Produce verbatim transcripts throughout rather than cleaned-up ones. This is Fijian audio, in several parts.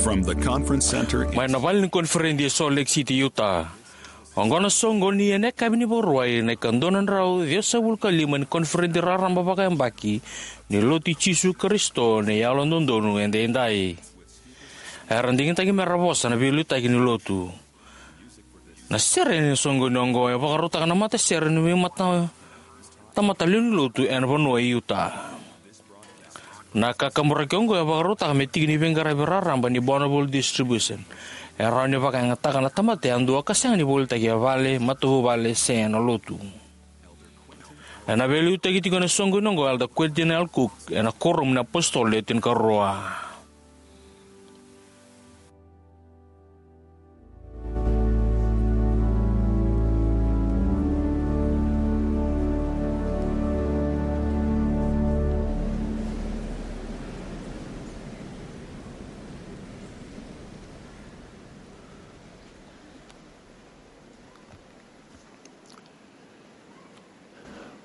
From the conference center in Mai na vale ni koniferedi e Salt Lake City, Utah. Oqo na soqoni ena yakavi ni Vakarauwai na ikadua na drau ciwasagavulu ka lima ni koniferedi raraba vakayabaki ni Lotu i Jisu Karisito ni Yalododonu Edaidai. Era digitaki mera vosa na veiliutaki ni Lotu. Na sere ni soqoni oqo e vakarautaka na matasere ni veimata, tamata lewe ni Lotu ena vanua e Utah. Na kakaburaki oqo e vakarautaka me tiki ni veiqaravi raraba ni Bonneville Distribution. E rawa ni vakayagataka na tamata yadua ka sega ni volitaki e vale, matavuvale se ena Lotu. Ena veiliutaki tiko ena soqoni oqo o Elder Quentin L. Cook ena Kuoramu ni iApositolo Le Tinikarua.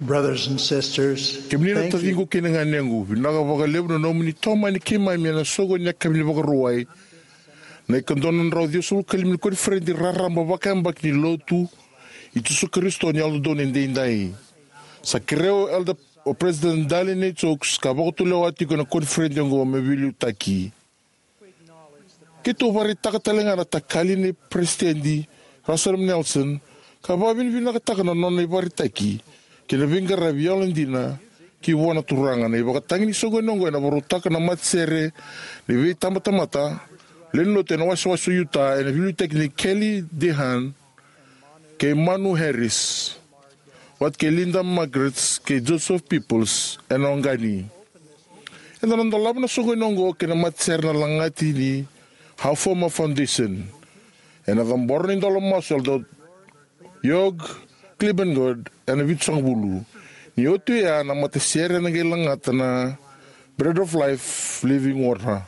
Brothers and sisters, kemuni na taciqu kei na ganequ, vinaka vakalevu na nomuni tomani keimami ena soqo ni yakavi ni Vakarauwai, na ikaono drau ciwasagavulu ka lima ni koniferedi raraba vakayabaki ni Lotu i Jisu Karisito ni Yalododonu Edaidai. Sa kerea o Elder, o President Dallin H. Oaks ka vakatulewa tiko ena koniferedi oqo me veiliutaki. Keitou vakaraitaka tale ga na takali nei Peresitedi Russell M. Nelson, ka vakavinavinakataka na nona ivakaraitaki kei na veiqaravi yalodina ki vua na Turaga. Na ivakatagi ni soqoni oqo ena vakarautaka na matasere ni veitabatamata lewe ni Lotu ena wasewase o Utah, ena veiliutaki nei Kelly DeHaan kei Manu Harris, vata kei Linda Margrets kei Joseph Peoples ena Oqani. Eda na dolava na soqoni oqo kei na matasere na lagati ni Hafoma Foundation. Ena cabora na idola masu o Elder Jörg Klebengard ena vitusagavulu. Ni oti oya, na matasere ena qai lagata na Bread of Life Living Water.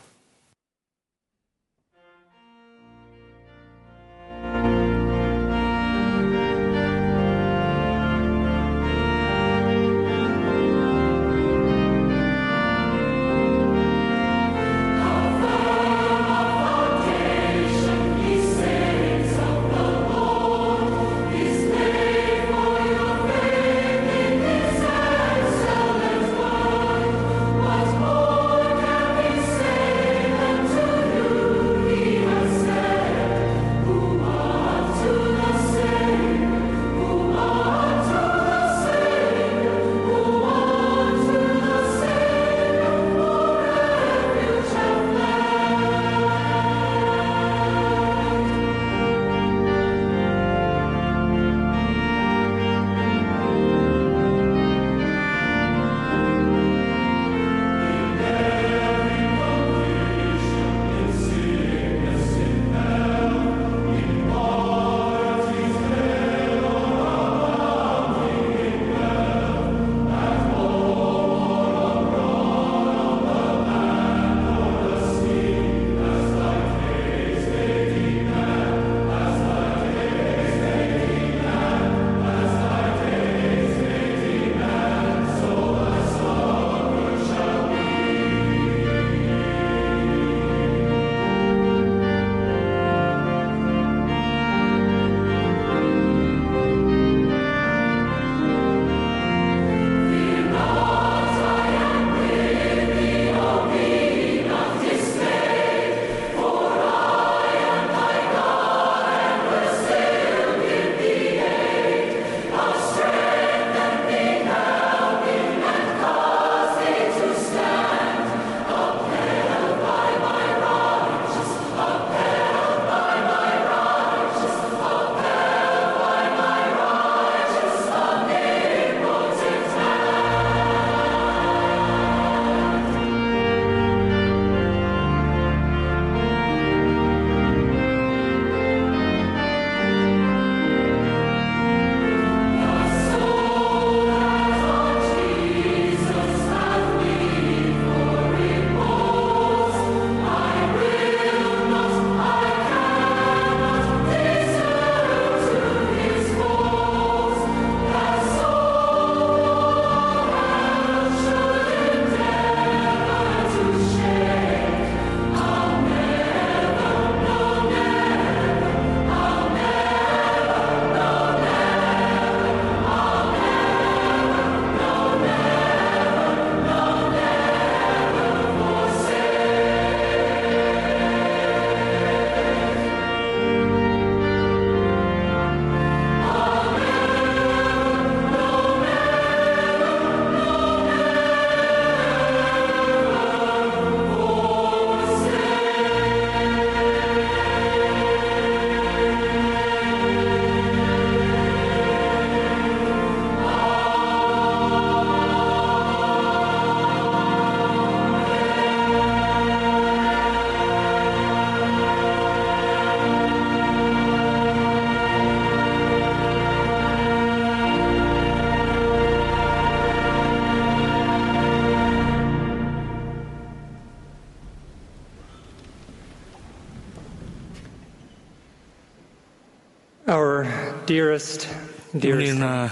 Our dearest, dearest. Kemuni na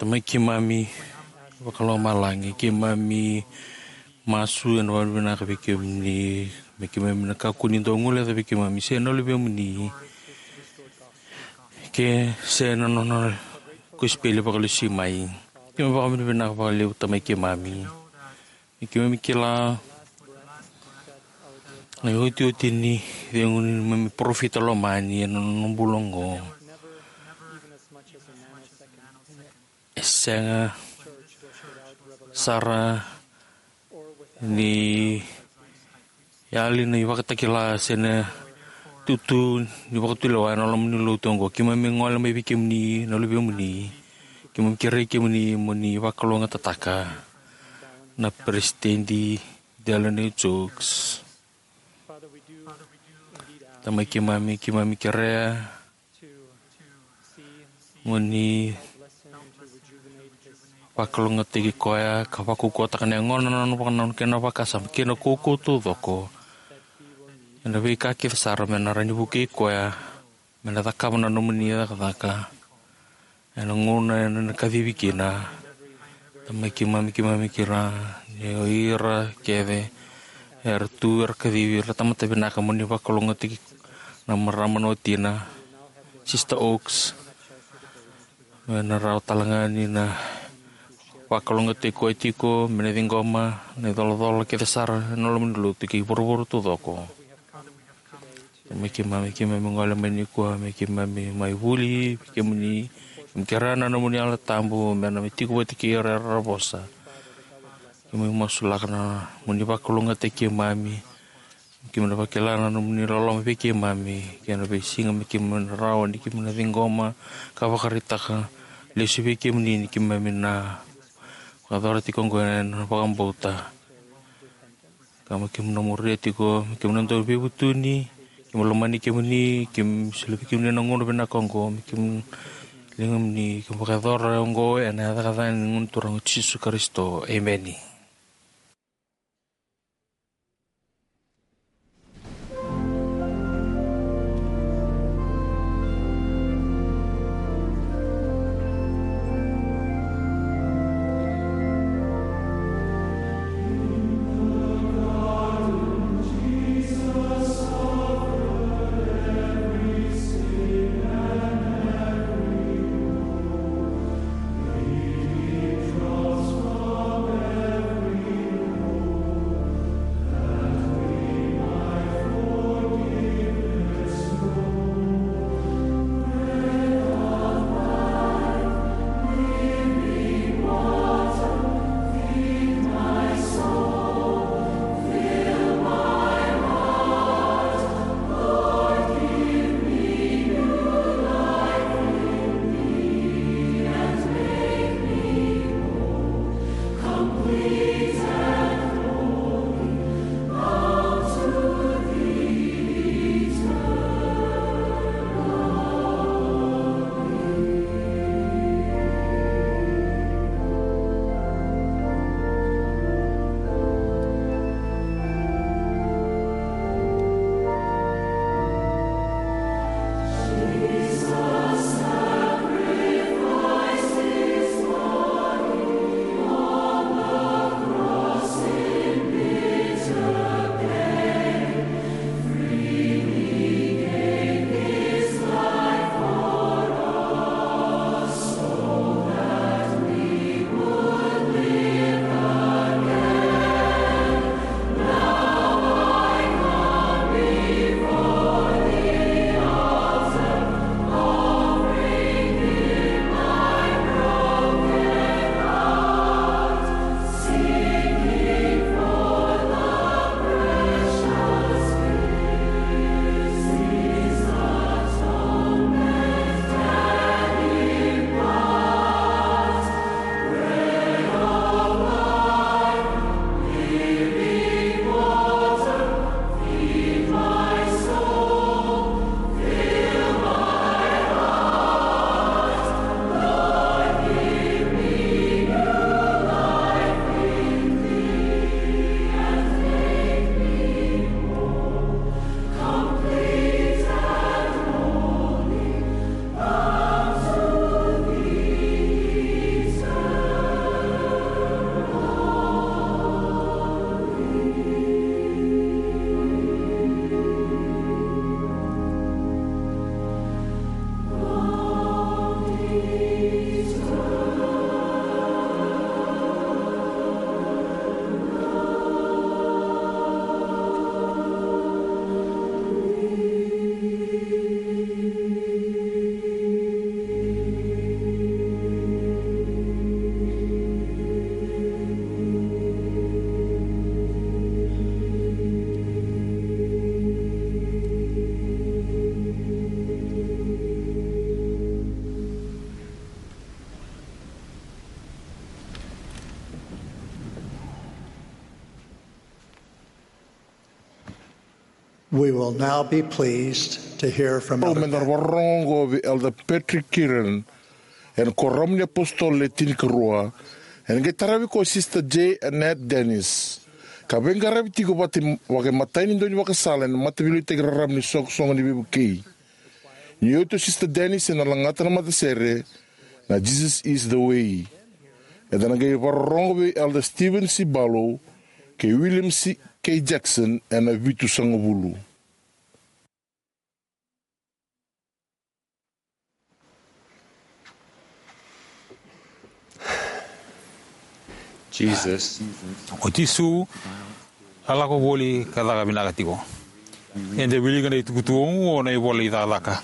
Tamai keimami vakalomalagi, keimami masu ena vakavinavinaka vei kemuni, me keimami na kakua ni dau guileca vei keimami se na luvemuni, ke se na nona kosipeli vakalesui mai. Keimami vakavinavinaka vakalevu, Tamai keimami. Me keimami kila na iotioti ni cegu ni neimami parofita lomani ena nona bula oqo. E sega sara ni yali na ivakatakila se na tutu ni vakatulewa ena loma ni lotu oqo. Keimami gole mai vei kemuni na luvemuni. Keimami kerei kemuni mo ni vakalougatataka na peresitedi Dallin H. Oaks. Tamai keimami, keimami kerea mo ni vakalougatataki koya ka vakaukauwataka na yagona, na nona vakanananu kei na vakasama kei na kaukaua taucoko ena veika kece sara me na rawa ni vukei koya me na cakava na nomuni cakacaka ena gauna ena kacivi kina. Tamai keimami, keimami kila ni o ira kece era tu era kacivi, era tamata vinaka, mo ni vakalougatataki na marama na watina, Sister Oaks, me na rawa talega ni na vakalougatataki koya tiko me na ciqoma na icolacola kece sara ena loma ni lotu kei vuravura taucoko. Tamai keimami, keimami gole mai nikua, me keimami mai vuli vei kemuni, keimami kerea na nomuni Yalo Tabu me na mai tiko vata kei ira era vosa. Keimami masulaka na nomuni vakalougatataki keimami, keimami na vakila na nomuni loloma vei keimami kei na veisiga me keimami na rawa ni keimami na ciqoma ka vakaraitaka lesu vei kemuni ni keimami na vakayacora tiko oqo ena vakabauta. Ka me keimami na muria tiko, me keimami na dau veivutuni, keimami lomani kemuni, keimami solia vei kemuni na gauna vinaka oqo, me keimami ligamuni, keimami vakayacora oqo ena yaca ni Gone Turaga o Jisu Karisito. Emeni. We will now be pleased to hear from Elder Patrick. Meda vakarorogo oqo vei Elder Patrick Kearon, ena Kuoramu ni Apositolo Le Tinikarua. Ena qai taravi koya o Sister J. Annette Dennis, ka veiqaravi tiko vata, vakaimatai ni daunivakasala ena Mataveiliutaki Raraba ni Soqosoqo ni Veivukei. Ni oti o Sister Dennis ena lagata na matasere na Jesus is the Way. Eda na qai vakarorogo vei Elder Steven C. Barlow kei William C. K. Jackson ena vitusagavulu. Jesus. O Jisu a lako voli ka caka vinaka tiko. Eda wilika na itukutuku oqo na ivola i Cakacaka.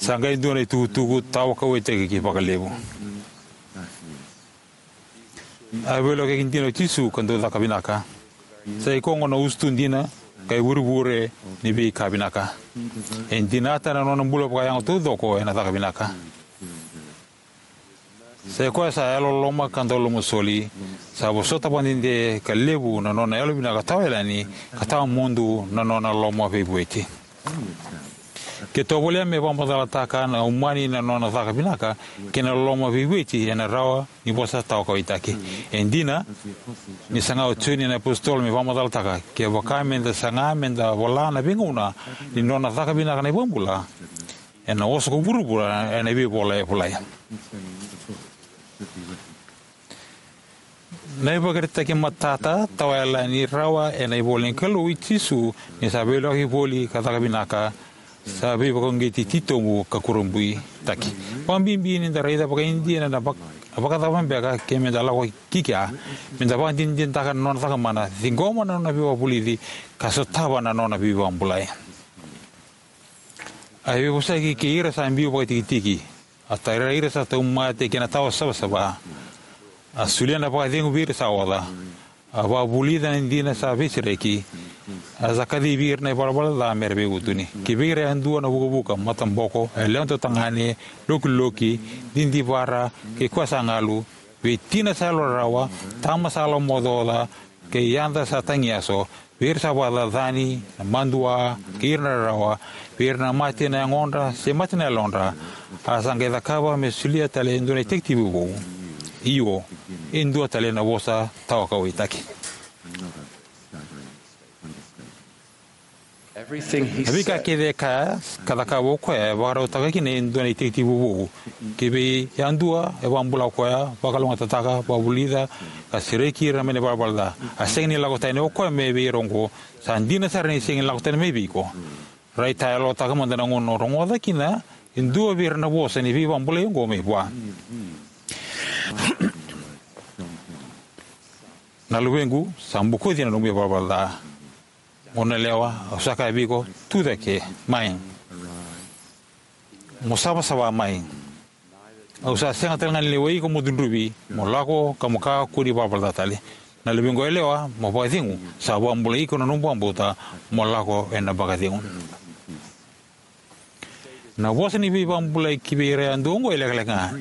Sa qai dua na itukutuku tawa kauwaitaki vakalevu. A veilakoyaki dina o Jisu ka dau caka vinaka. Sa ikoya oqo na usutu dina ka ivurevure ni veika vinaka. E dinata na nona bula vakayago taucoko ena caka vinaka. Sa ikoya sa yalololoma ka daulomasoli. Sa vosota vakadede ka levu na nona yalovinaka tawa yalani ka tawa mudu na nona loma veivueti. Ke tovolea me vakamacalataka na umani na nona caka vinaka kei na loma veivueti ena rawa ni vosa tawa kauwaitaki. E dina ni saga o Joni na Apositolo me vakamacalataka, kevaka meda saga meda vola na veigauna ni nona caka vinaka na iVakabula, ena oso ko vuravura ena veivola e volai. Na ivakaraitaki matata tawa yalani rawa ena ivola ni Kalou i Jisu ni sa veilakoyaki voli ka caka vinaka, sa veivakauqeti titobu ka kurabuitaki. Vakabibi ni da raica vakaidina na vak-, vakacava beka ke meda lako ki kea, meda vakadinadinataka na nona cakamana, ciqoma na nona veivakavulici ka sotava na nona veivakabulai. A veivosaki kei ira sa biu vakatikitiki. A tara ira sa tauvimate kei na tawa savasava. A solia na vakacegu vei ira sa oca. A vakavulica na dina sa veisereki. A sa kacivi ira na ivalavala ca mera veivutuni. Ki vei ira yadua na vukavuka, mataboko, yalewa dodonu, lokiloki, didivara, kei koya sa galu, vei tina sa yalorarawa, tama sa lomaocaoca, kei yada sa tagiyaso, vei ira sa vakacacani, na madua, kei ira na rarawa, vei ira na mate na yagodra se mate na yalodra. A sa qai cakava me solia tale e dua na itekitekivu vou. Io, e dua tale na vosa tawa kauwaitaki. Na veika kece e kaya ka cakava o koya e vakarautaka kina e dua na itekitekivu vou. Ki vei yadua e vakabula o koya, vakalougatataka, vakavulica, ka sereki ira mai na ivalavala ca. A sega ni lako tani o koya mai vei ira oqo. Sa dina sara ni sega ni lako tani mai vei iko. Raitayalotaka mada na gauna o rogoca kina e dua vei ira na vosa ni veivakabulai oqo mai vua. Na luvequ, sa bokoci na nomu ivalavala ca. Goneyalewa, au sa kaya vei iko, tucake mai. Mo savasava mai. Au sa sega tale ga ni lewai iko mo cudruvi, mo lako ka mo kakua ni valavala ca tale. Na luvequ yalewa, mo vakacegu, sa vakabulai iko na nomu vakabauta, mo lako ena vakacegu. Na vosa ni veivakabulai ki vei ira yadua oqo e lekaleka ga.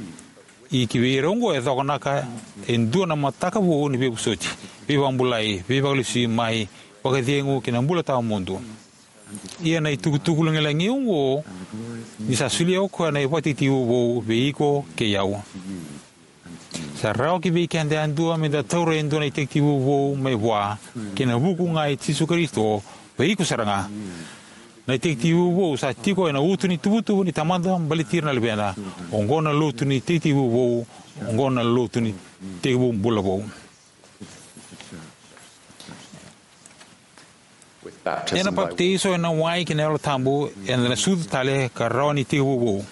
Ia ki vei ira oqo e cokonaka e dua na mataka vou ni veivosoti, veivakabulai, veivakalesui mai, vakacegu kei na bula tawamudu. Ia na itukutuku lagilagi oqo, ni sa solia o koya na ivakatekitekivu vou vei iko kei au. Sa rawa ki vei keda yadua meda taura e dua na itekitekivu vou mai vua, kei na vuku ga i Jisu Karisito, vei iko sara ga. Na itekitekivu vou sa tiko ena uto ni tuvatuva ni Tamada baleti ira na luvena. Oqo na lotu ni itekitekivu vou, oqo na lotu ni tekivu bula vou. Ena papitaiso ena wai kei na Yalo Tabu, eda na sucu tale ka rawa ni tekivu vou.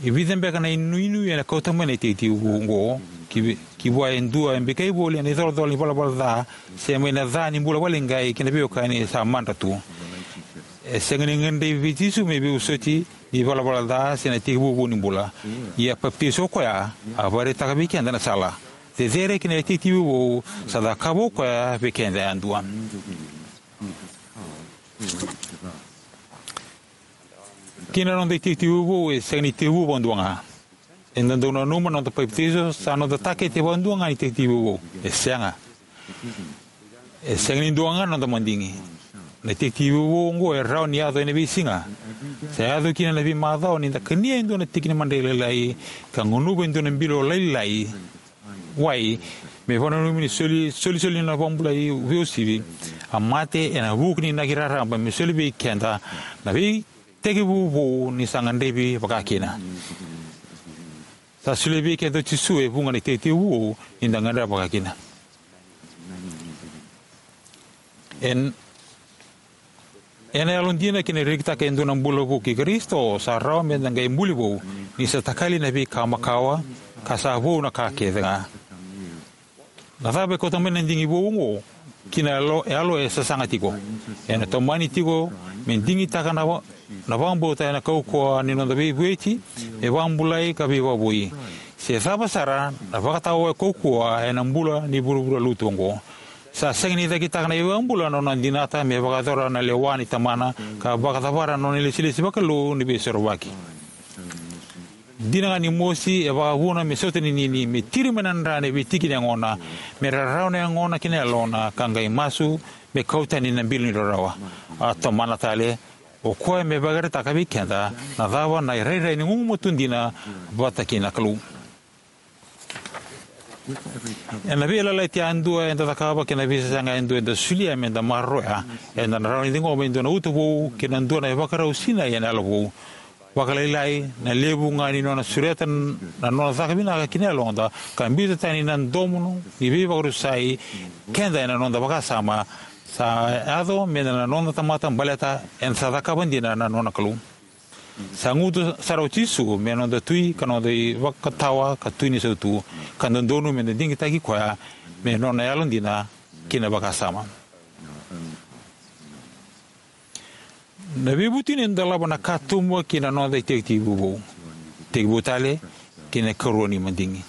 E vica beka na inuinui ena kauta mai na itekitekivu vou oqo ki, ki vua e dua e bikai voli ena icolacola ni valavala ca, se mai na ca ni bula vakaleqai kei na veiwekani sa madra tu. E sega ni gadrevi vei Jisu me veivosoti ni valavala ca se na tekivu vou ni bula. Ia a papitaiso o koya, a vakaraitaka vei keda na sala. Cecere ki na itekitekivu vou sa cakava o koya vei keda yadua. Kei na noda itekitekivu vou e sega ni tekivu vakadua ga. Eda dau nanuma na noda papitaiso sa noda takete vakadua ga ni itekitekivu vou. E sega. E sega ni dua ga na noda madigi. Na itekitekivu vou oqo e rawa ni yaco ena veisiga. Sa yaco kina na veimacawa ni da kania e dua na tiki ni madrai lailai ka gunuva e dua na bilo lailai wai me vakananumi ni soli, solisoli na vakabulai veiuasivi. A mate ena vuku ni inaki raraba me soli vei keda na veitekivu vou ni sa gadrevi vakakina. Sa solia vei keda o Jisu e vuqa na itekitekivu vou ni da gadreva vakakina. En, ena yalodina kei na rekitaka e dua na bula vou kei Karisito, sa rawa me da qai buli vou ni sa takali na veika makawa ka sa vou na ka kece ga. Na cava e kauta mai na digi vou oqo ki na yalo, yalo e sasaga tiko? Ena tomani tiko me digitaka na, na vakabauta ena kaukauwa ni noda veivueti me vakabulai ka veivakavoui. Se cava sara na vakatawa e kaukauwa ena bula ni vuravura lotu oqo. Sa sega ni cakitaka na iVakabula na nona dinata me vakayacora na lewa ni Tamana ka vakacavara na nona ilesilesi vakalou ni veisorovaki. Dina ga ni mosi e vakavuna me sautaninini, me tiri mai na dra ena veitiki ni yagona, me rarawa na yagona kei na yalona ka qai masu me kau tani na bilo ni rarawa. A tomana tale o koya me vakayagataka vei keda na cava na irairai ni gugumatua dina vata kei na Kalou. Ena veiyalayalati yadua eda cakava kei na veisasaga yadua eda solia me da maroroya, eda na rawa ni ciqoma e dua na uto vou kei na dua na ivakarau sinai ena yalo vou. Vakalailai na levu ga ni nona sureta na nona caka vinaka ki na yaloda ka biuta tani na domo ni veivakarusai keda ena noda vakasama sa yaco me na noda tamata baleta eda sa cakava dina na nona Kalou. Sa gutu sara o Jisu me noda tui ka noda ivakatawa ka tui ni sautu, ka dodonu me da digitaki koya me nona yalodina kei na vakasama. Na veivutuni e dolava na katuba ki na noda itekitekivu vou, tekivu tale ki na ikarua ni madigi.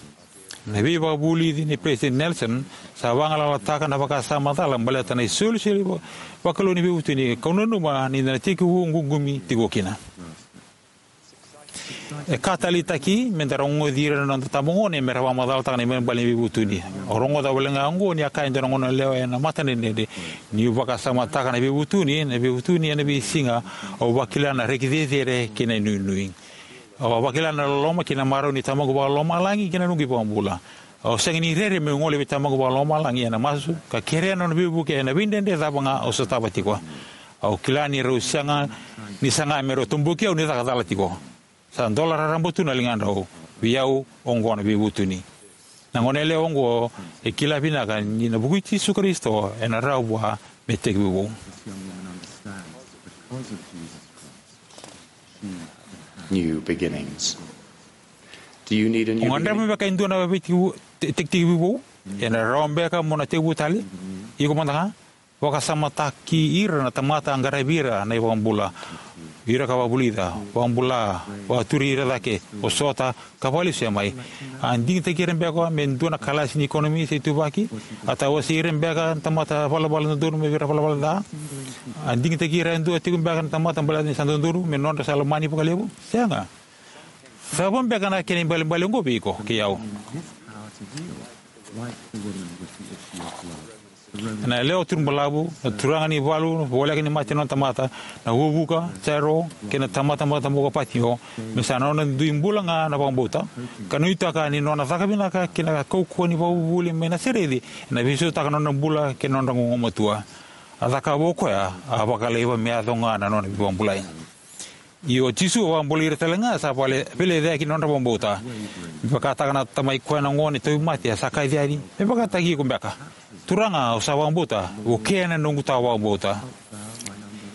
Na veivakavulici nei Peresitedi Nelson sa vagalalataka na vakasama cala baleta na isolisoli va-, vakalou ni veivutuni, kau nanuma ni da na tekivu ququmi tiko kina. E ka taleitaki me da rogoci ira na noda itabagone me ra vakamacalataka na ibalebale ni veivutuni. Au rogoca wale ga oqo ni a kaya e dua na goneyalewa ena matadredredre, niu vakasamataka na veivutuni, na veivutuni ena veisiga, au vakila na reki cecere kei na inuinui. Au vakila na loloma kei na marau ni Tamaqu Vakalomalagi kei na noqu iVakabula. Au sega ni rere meu gole vei Tamaqu Vakalomalagi ena masu ka kerea na nona veivuke ena veidredre cava ga au sotava tiko. Au kila ni rau sega ni saga me rau toboki au ni caka cala tiko. Sa dola raraba tu na ligadrau. Vei au, oqo na veivutuni. Na goneyalewa oqo e kila vinaka ni na vuku i Jisu Karisito ena rawa vua me tekivu vou. New beginnings. Do you need a new O gadreva beginning? Beka e dua na veitekivu, te-, tekivu vou? Ena rawa beka mo na tekivu tale? Iko mada ga? Vakasamataki ira na tamata a qaravi ira na iVakabula. Ira ka vakavulica, vakabula, vakaturi ira cake, vosota, ka vakalesuya mai. A digitaki ira beka me dua na kalasi ni ikonomi se ituvaki? A tawasei ira beka na tamata valavala dodonu me vei ira valavala ca? A digitaki ira e dua tiko beka na tamata baleta ni sa dodonu me nodra sa lomani vakalevu? Sega. Cava beka na kena ibalebale oqo vei iko kei au? Na yalewa turubalavu, na turaga ni valu voleka ni mate nona tamata, na vuvuka, Jairo, kei na tamata mataboko o Patimeo, me sa nona dui bula ga na vakabauta, ka nuitaka ni nona caka vinaka kei na kaukauwa ni vakavuvuli mai Nasareci ena veisautaka na nona bula kei na nodra gugumatua. A cakava o koya, a vakalaiva me yaco ga na nona veivakabulai. Io, o Jisu a vakabulai ira tale ga sa vale-, veilecayaki na nodra vakabauta. Me vakataka na tamai koya na gone tauvimate, a sa kaci yani, me vakataki iko beka. Turaga, au sa vakabauta, vukea na noqu tawa vakabauta.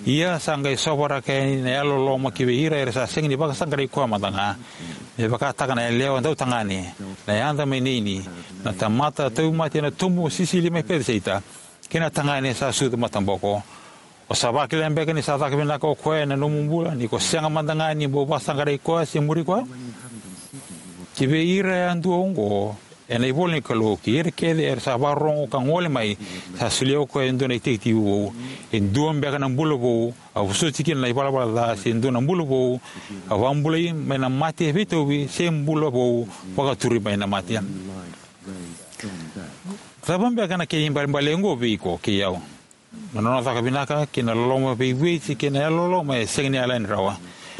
Ia sa qai sovaraka yani na yalololoma ki vei ira era sa sega ni vakasaqarai koya mada ga. Me vakataka na yalewa dautagane, na yada mai Neini, na tamata tauvimate ena tubu sisili mai Peciseita, kei na tagane sa sucu mataboko. O sa vakila beka ni sa caka vinaka o koya ena nomu bula, ni ko sega mada ga ni bau vakasaqarai koya se muri koya? Ki vei ira yadua oqo, ena ivola ni Kalou, kei ira kece era sa vakarorogo ka gole mai, sa solia o koya e dua na itekitekivu vou. E dua beka na bula vou, a vosoti kina na ivalavala ca, se dua na bula vou, a vakabulai mai na mate veitauvi, se bula vou, vakaturi mai na mate. Cava beka na kena ibalebale oqo vei iko kei au? Na nona caka vinaka kei na loloma veivueti kei na yalololoma e sega ni yalani rawa.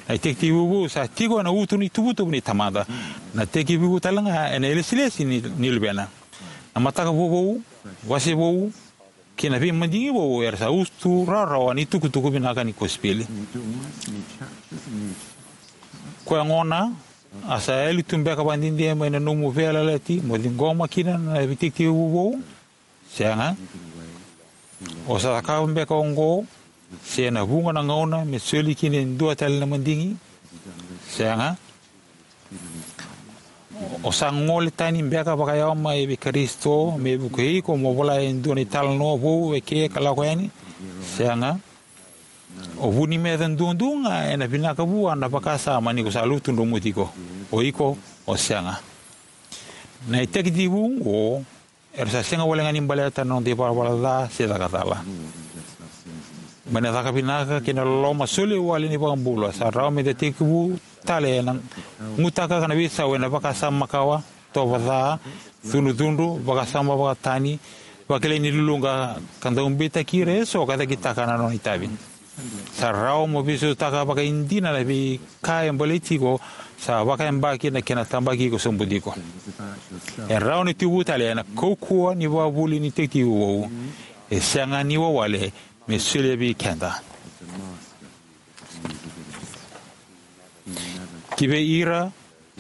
Na itekitekivu vou sa tiko ena uto ni tuvatuva ni Tamada. Na itekitekivu tale ga ena ilesilesi ni, ni Luvena. Na mataka vovou, wase vou, kei na veimadigi vou era sa uto rawarawa ni tukutuku vinaka ni kosipeli. Koya gona, a sa yali tu beka vakadede mai na nomu veiyalayalati mo ciqoma kina na itekitekivu vou? Sega. O sa cakava beka oqo, se ena vuqa na gauna, me soli kina e dua tale na madigi? Sega. O sa gole tani beka vakayawa mai vei Karisito me vukei iko mo vola e dua na italanoa vou eke ka lako yani? Sega. O vu ni meca duadua ga ena vinaka vua na vakasama ni ko sa lutu dromu tiko. O iko, o sega. Na itekitekivu oqo era sa sega wale ga ni baleta na noda ivalavala ca se caka cala. Mai na caka vinaka kei na loloma soli wale ni iVakabula, sa rawa meda tekivu tale ena gutaka na veisau ena vakasama makawa, tovo ca, cudrucudru, vakasama vakatani, vakilai ni luluqa, ka dau beitaki ira eso ka cakitaka na nona itavi. Sa rawa mo veisautaka vakaidina na veika e baleti iko, sa vakayabaki na kena tabaki iko sobu tiko. E rawa ni tekivu tale ena kaukauwa ni vakavuli ni itekitekivu vou. E sega ni wawale me solia vei keda. Ki vei ira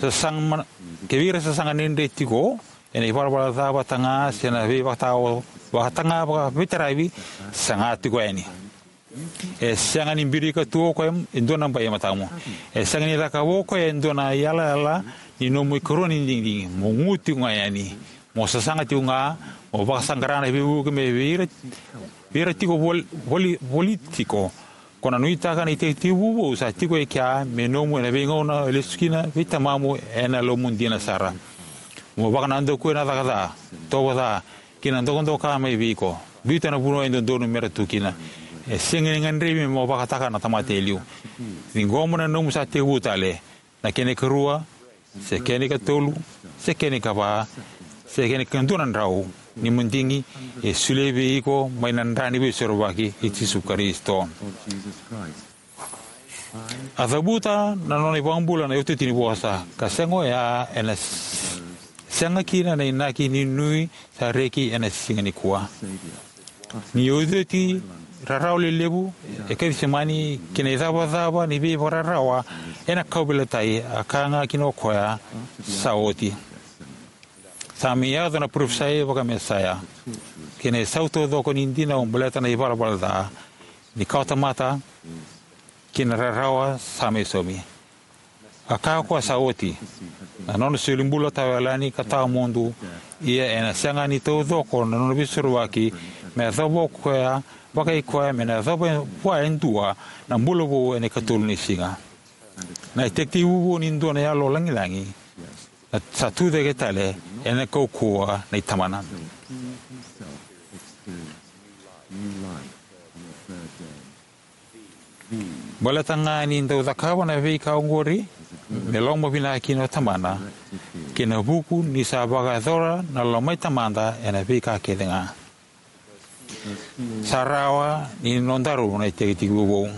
sa saga mana, ki vei ira sa saga dredre tiko ena ivalavala ca vata ga se na veivakatawa vata ga vakaveitaravi, saga tiko yani. E sega ni birika tu o koya e dua na bai e matamu. E sega ni cakava o koya e dua na iyalayala ni nomu ikarua ni digidigi. Mo gu tiko ga yani. Mo sasaga tiko ga, mo vakasaqara na veivuke me vei ira, vei ira tiko voli, voli, voli tiko. Ko na nuitaka na itekitekivu vou sa tiko e kea me nomu ena veigauna e lesu kina vei tamamu ena yalomu dina sara. Mo vakanadakuya na caka ca, tovo ca, kei na dokadoka mai vei iko. Biuta na vanua e dodonu mera tu kina. E sega ni gadrevi mo vakataka na tamata e liu. Ciqoma na nomu sa tekivu tale, na kena ikarua, se kena ikatolu, se kena ikava, se kena ikadua na drau ni madigi e solia vei iko mai na dra ni Veisorovaki i Jisu Karisito. A cavuta na nona iVakabula na iotioti ni vosa, ka sega oya ena s-, sega kina na inaki ni nui sa reki ena siga nikua. Ni iotioti rarawa lelevu e Kecisemani kei na icavacava ni veivakararawa ena kauveilatai, a kaya ga kina o koya, sa oti. Sa mai yaco na parofisai vakaMesaia kei na isau taucoko ni dina o baleta na ivalavala ca ni kawatamata kei na rarawa sa mai saumi. A kaya o koya sa oti. Na nona solibula tawayalani ka tawamudu, ia ena sega ni taucoko na nona veisorovaki me yacova o koya, vakai koya me na yacova vua e dua na bula vou ena ikatolu ni siga. Na itekitekivu vou ni dua na yalo lagilagi na sa tucake tale ena kaukauwa nei Tamana. Baleta ga ni dau cakava na veika oqori, me lomavinaka kina o Tamana, kei na vuku ni sa vakayacora na lomai Tamada ena veika kece ga. Sa rawa ni nodaru na itekitekivu vou.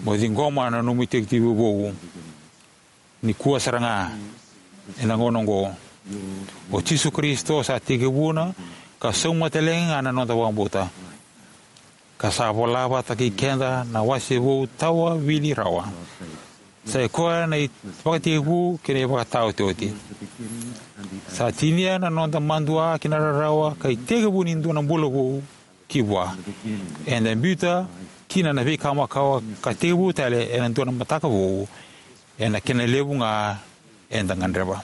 Mo ciqoma na nomu itekitekivu vou nikua sara ga, ena gauna oqo. O Jisu Karisito sa tekivuna ka sauma tale ga na noda vakabauta, ka sa vola vata kei keda na wase vou tawa wili rawa. Sa i koya na ivakatekivu kei na ivakataotioti. Sa tinia na noda madua ki na rarawa ka itekivu ni dua na bula vou ki vua. Eda biuta kina na veika makawa ka tekivu tale ena dua na mataka vou, ena kena levu ga eda gadreva.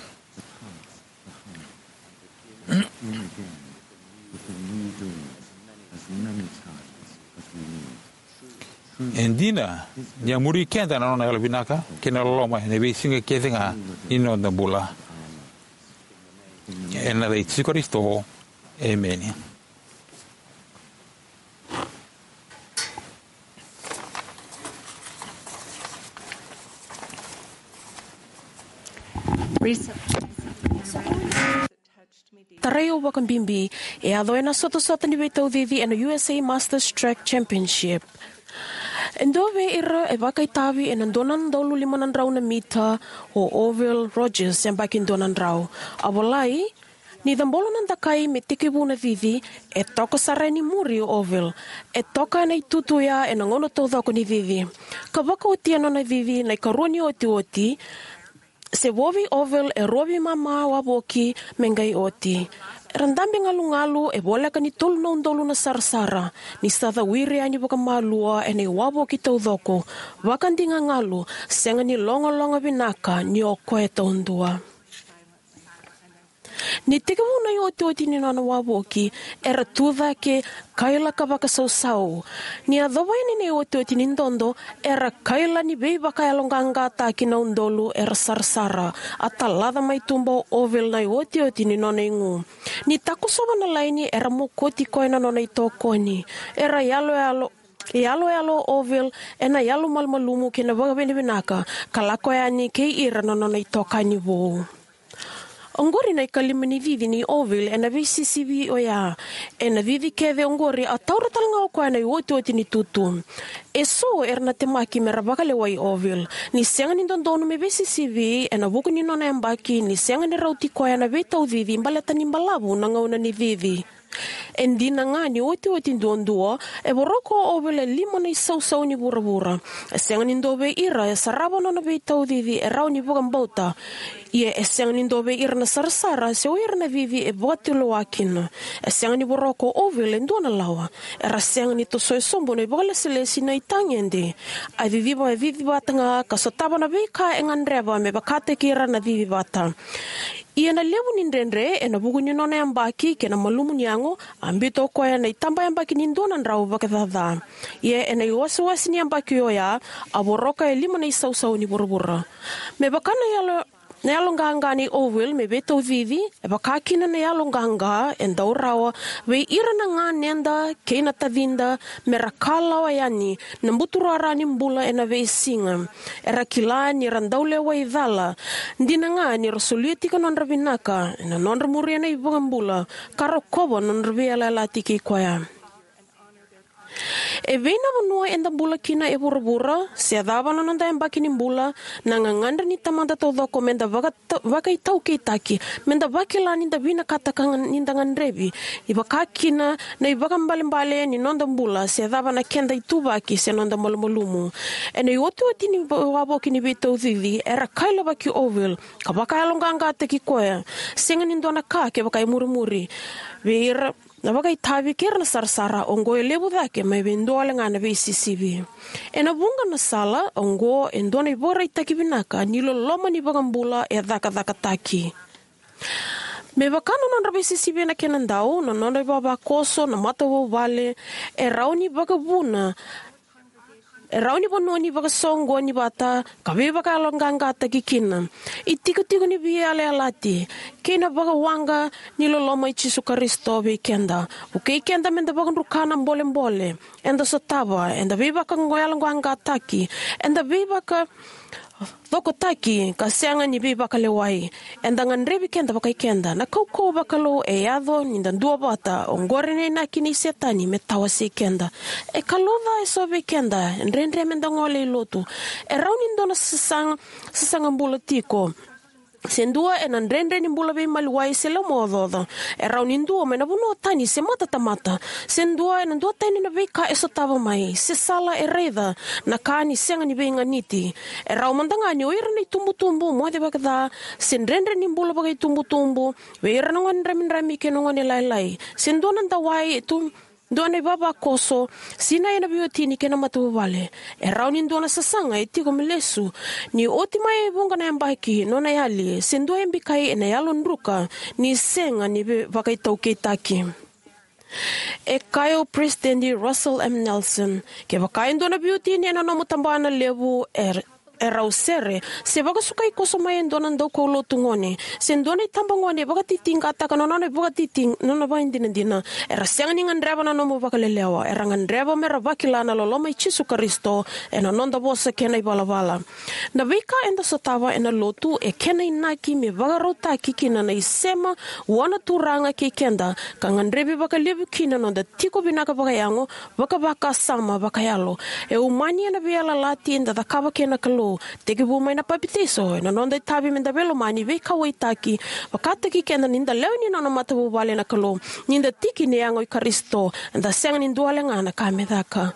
E dina ni a muri keda na nona yalovinaka kei na loloma ena veisiga kece ga ni noda bula. Ena yaca i Jisu Karisito, emeni. Recently, Tarai au vakabibi, e yaco ena sotasota ni veitaucici ena U S A Masters Track Championship. E dua vei ira e vakaitavi ena dua na udolu lima na drau na mita, o Orville Rogers, yabaki dua na drau. A volai, ni cabolo na dakai me tekivu na cici, e toka sara yani muri o Orville. E toka ena itutu oya ena gauna taucoko ni cici. Ka vakaotia nona cici na ikarua ni otioti, se vo vei Orville e rua veimama wavoki me qai oti. Era dabe galugalu e voleka ni tolu na udolu na sarasara, ni sa cawiri yani vakamalua ena iwavoki taucoko, vakadigagalu, sega ni logaloga vinaka ni o koya taudua. Ni tekivu na iotioti ni nona wavoki, era tu cake, kaila ka vakasausau. Ni yacova yani na iotioti ni dodo, era kaila ni veivakayaloqaqataki na udolu era sarasara. A talaca mai tuba o Orville na iotioti ni nona igu. Ni takosova na laini, era mokoti koya na nona itokoni. Era yaloyalo, yaloyalo o Orville ena yalomalumalumu kei na vakavinavinaka, ka lako yani kei ira na nona itokani vou. Oqori na ikalima ni cici nei Orville ena veisisivi oya. Ena cici kece oqori a taura talega o koya na iotioti ni tutu. Eso era na temaki mera vakalewai Orville. Ni sega ni dodonu me veisisivi ena vuku ni nona yabaki, ni sega ni rauti koya na veitaucici baleta ni balavu na gauna ni cici. E dina ga ni otioti duadua, e voroka o Orville e lima na isausau ni vuravura. E sega ni dua vei ira e sarava nona veitaucici e rawa ni vakabauta. Ia e sega ni dua vei ira na sarasara se o ira na cici e vakatulewa kina. E sega ni voroka o Orville e dua na lawa. Era sega ni tosoya sobu na ivakalesilesi na itagede. A ciciva, a cicivata ga ka sotava na veika e gadreva me vakataki ira na cicivata. Ia na levu ni dredre ena vuku ni nona yabaki kei na malumu ni yago, a biuta o koya na itabayabaki ni dua na drau vakacaca. Ia ena iwasewase ni yabaki oya, a voroka e lima na isausau ni vuravura. Me vaka na yalo, na yaloqaqa nei Orville me veitaucici, e vaka kina na yaloqaqa e dau rawa vei ira na ganeda kei na tacida mera kalawa yani na buturara ni bula ena veisiga. Era kila ni ra dau lewai cala. Dina ga ni ra solia tiko nodra vinaka ena nodra muria na iVakabula, ka rokova nodra veiyalayalati kei koya. E vei na vanua eda bula kina e vuravura, se cava na noda yabaki ni bula, na gagadre ni Tamada taucoko meda vaka, vakaitaukeitaki, meda vakila ni da vinakata ka ga, ni da gadrevi, e vaka kina na ivakaibalebale ni noda bula, se cava na keda ituvaki se noda malumalumu. Ena iotioti ni wa, wavoki ni veitaucici, era kailavaki Orville, ka vakayaloqaqataki koya. Sega ni dua na ka kevaka e murimuri vei ira na vakaitavi kei ira na sarasara, oqo e levu cake mai vei dua wale ga na veisisivi. Ena vuqa na sala, oqo e dua na ivakaraitaki vinaka ni loloma ni iVakabula e cakacakataki. Me vaka na nodra veisisivi ena kena dau, na nodra ivavakoso na matavuvale, e rawa ni vakavuna, e rawa ni vanua ni vakasoqoni vata ka veivakayaloqaqataki kina. Itikotiko ni veiyalayalati kei na vakawaqa ni loloma i Jisu Karisito vei keda. Vukei keda meda vakadruka na bolebole eda sotava, eda veivakayaloqaqataki, eda veivaka cokotaki ka sega ni veivakalewai. Eda gadrevi keda vakai keda. Na kaukauwa vakalou e yaco ni da duavata. Oqori na inaki nei Setani me tawasei keda. E kalouca eso vei keda, e dredre meda gole i lotu. E rawa ni dua na sasaga, sasaga bula tiko. Se dua ena dredre ni bula veimaliwai se laumaocaoca. E rawa ni dua mai na vanua tani se matatamata. Se dua ena duatani na veika e sotava mai, se sala e raica na ka ni sega ni veiganiti. E rawa mada ga ni o ira na itubutubu moce vakaca, se dredre ni bula vakaitubutubu vei ira na gone dramidrami kei na gone lailai. Se dua na dawai e tu, dua na ivavakoso, sinai ena veiwatini kei na matavuvale. E rawa ni dua na sasaga e tiko me lesu ni oti mai e vuqa na yabaki, nona yali, se dua e bikai ena yalo druka ni sega ni vei, vakaitaukeitaki. E kaya o President Russell M Nelson, kevaka e dua na veiwatini ena nomu tabana levu, e, e rau sere, se vakasukai koso mai e dua na daukaulotu gone, se dua na itabagone e vakatitiqataka na nona vakatiti, na nona vakadinadina, era sega ni gadreva na nomu vakalelewa, era gadreva me ra vakila na loloma i Jisu Karisito, ena noda vosa kei na ivalavala. Na veika eda sotava ena lotu e kena inaki me vakarautaki kina na isema vua na Turaga kei keda, ka gadrevi vakalevu kina na noda tiko vinaka vakayago, vakavakasama, vakayalo. E umani ena veiyalayalati eda cakava kei na Kalou, tekivu mai na papitaiso, ena noda itavi meda veilomani, veikauwaitaki, vakataki keda ni da lewe ni nona matavuvale na Kalou, ni da tiki ni yago i Karisito, eda sega ni dua wale ga na ka me caka.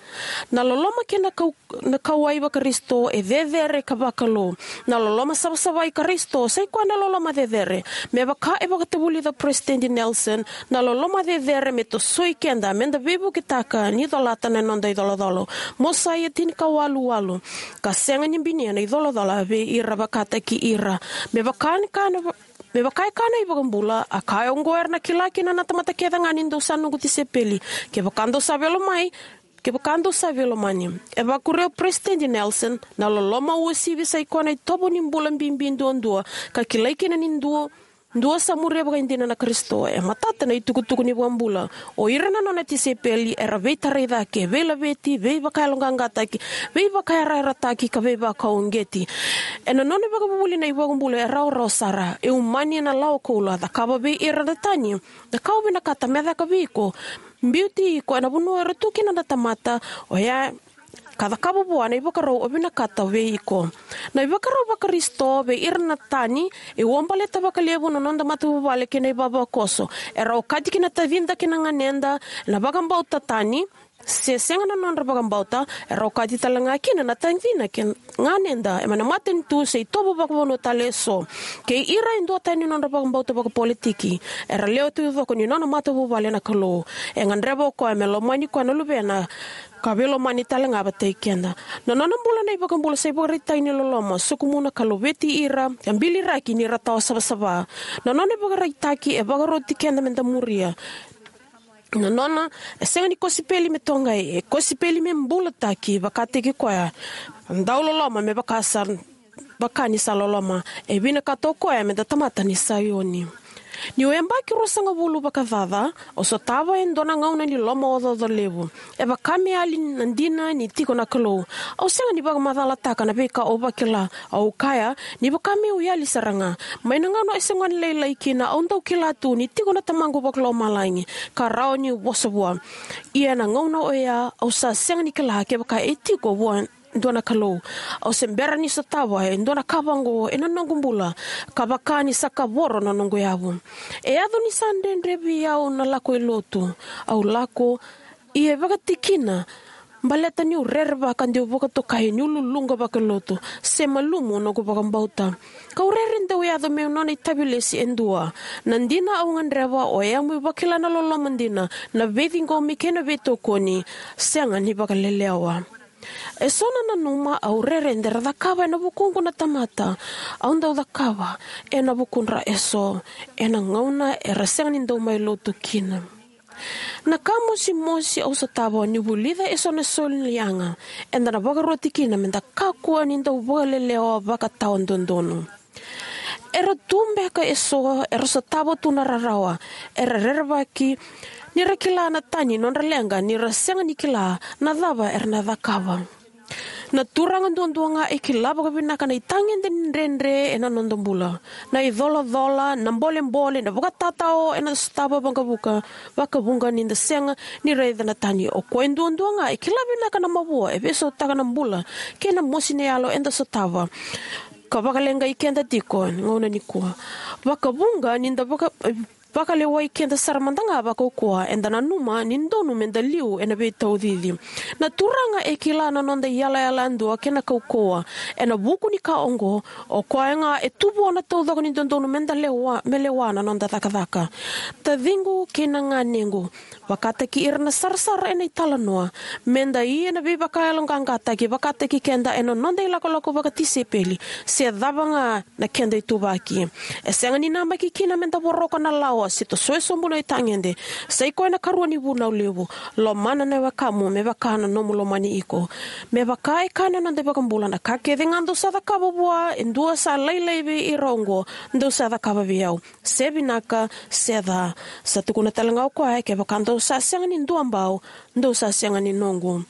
Na loloma kei na kau na kauwai vaKarisito e cecere ka vakalou. Na loloma savasava i Karisito sai koya na loloma cecere. Me vaka e vakatavulica o Peresitedi Nelson, na loloma cecere me tosoi keda meda veivuketaka ni colata na noda icolacola. Mosaia tinikawalu walu. Ka sega ni binia na icolacola vei ira vakataki ira. Me vaka ni kana va-, me vaka e kaya na iVakabula, a kaya oqo era na kila kina na tamata kece ga ni dou sa noqu tisaipeli, kevaka dou sa veilomai, kevaka dou sa veilomani. E vakuria o Peresitedi Nelson, na loloma uasivi sai koya na itovo ni bula bibi duadua, ka kilai kina ni dua, dua sa muria vakaidina na Karisito. E matata na itukutuku ni iVakabula. O ira na nona tisaipeli era veitarai cake, veilaveti, veivakayaloqaqataki, veivakayarayarataki, ka veivakauqeti. Ena nona ivakavuvuli na iVakabula e rawarawa sara, e umani ena lawa koula, cakava vei ira na tani na ka au vinakata me caka vei iko, biuti iko ena vanua era tu kina na tamata, oya ka cakava vua na ivakarau au vinakata vei iko. Na ivakarau vaKarisito vei ira na tani e uabaleta vakalevu na noda matavuvale kei na ivavakoso. Era okati kina tacida kei na ganeda ena vakabauta tani, se sega na nodra vakabauta, era okati tale ga kina na tacina kei na ganeda ena matanitu se itovo vakavanua tale eso. Kei ira e duatani nodra vakabauta vakapolitiki, era lewe taucoko ni nona matavuvale na Kalou. E gadreva o koya me lomani koya na luvena, ka veilomani tale ga vakai keda. Na nona bula na iVakabula sa ivakaraitaki ni loloma, sokumuna ka laveti ira, ka biliraki ni ra tawa savasava. Na nona ivakaraitaki e vakaroti keda meda muria. Na nona, e sega ni kosipeli me toqai, e kosipeli me bulataki, vakataki koya. Dau loloma me vaka sa, vaka ni sa loloma. E vinakata o koya meda tamata ni Saioni. Niu yabaki ruasagavulu vakacaca, au sotava e dua na gauna ni lomaocaoca levu. E vaka me yali na dina ni tiko na Kalou. Au sega ni vakamacalataka na veika au vakila, au kaya, ni vaka meu yali sara ga. Mai na gauna e se gone lailai kina, au dau kila tu ni tiko na Tamaqu Vakalomalagi, ka rawa niu vosa vua. Ia ena gauna oya, au sa sega ni kila kevaka e tiko vua dua na Kalou. Au se bera ni sotava e dua na ka vaqo ena noqu bula, ka vaka ni sa kavoro na noqu yavu. E yaco ni sa dredre vei au na lako i lotu. Au lako, ia e vakatikina, baleta niu rerevaka de'u vakatokai niu luluqa vakalotu, se malumu noqu vakabauta. Kau rere de'u yaco meu nona itavilesi e dua. Na dina au gadreva, oya meu vakila na loloma dina, na veiciqomi kei na veitokoni, sega ni vakalelewa. Eso na nanuma au rere de ra cakava ena vukuqu na tamata, au dau cakava ena vukudra eso, ena gauna era sega ni dau mai lotu kina. Na ka mosimosi au sotava niu vulica eso na soli ni yaga, eda na vakaroti kina meda kakua ni dau vakalelewa vakatawadodonu. Era tu beka eso era sotava tu na rarawa, era rerevaki ni ra kila na tani nodra leqa, ni ra sega ni kila na cava era na cakava. Na turaga duadua ga e kila vakavinaka na itagede ni dredre ena noda bula. Na icolacola, na bolebole, na vakatatao eda sotava vakavuka, vakavuqa ni da sega ni raica na tani. O koya duadua ga e kila vinaka na mavoa e veisautaka na bula kei na mosi ni yalo eda sotava, ka vakaleqai keda tiko ena gauna nikua. Vakavuqa ni da vaka, vakalewai keda sara mada ga vakaukauwa, eda nanuma ni donu meda liu ena veitaucici. Na Turaga e kila na noda iyalayala yadua kei na kaukauwa. Ena vuku ni ka oqo, o koya ga e tu vua na taucoko ni dodonu meda lewa, me lewa na noda cakacaka. Taciqu kei na ganequ, vakataki ira na sarasara ena italanoa, meda ia na veivakayaloqaqataki vakataki keda ena noda ilakolako vakatisaipeli, se cava ga na keda ituvaki. E sega ni namaki kina meda voroka na lawa se tosoya sobu na itagede. Sa i koya na ikarua ni vunau levu. Lomana na wekamu me vaka na nomu lomani iko. Me vaka e kaya na noda iVakabula, na ka kece ga dou sa cakava vua e dua sa lailai vei ira oqo, dou sa cakava vei au. Se vinaka, se ca. Sa tukuna tale ga o koya, kevaka dou sa sega ni duabau, dou sa sega ni noqu.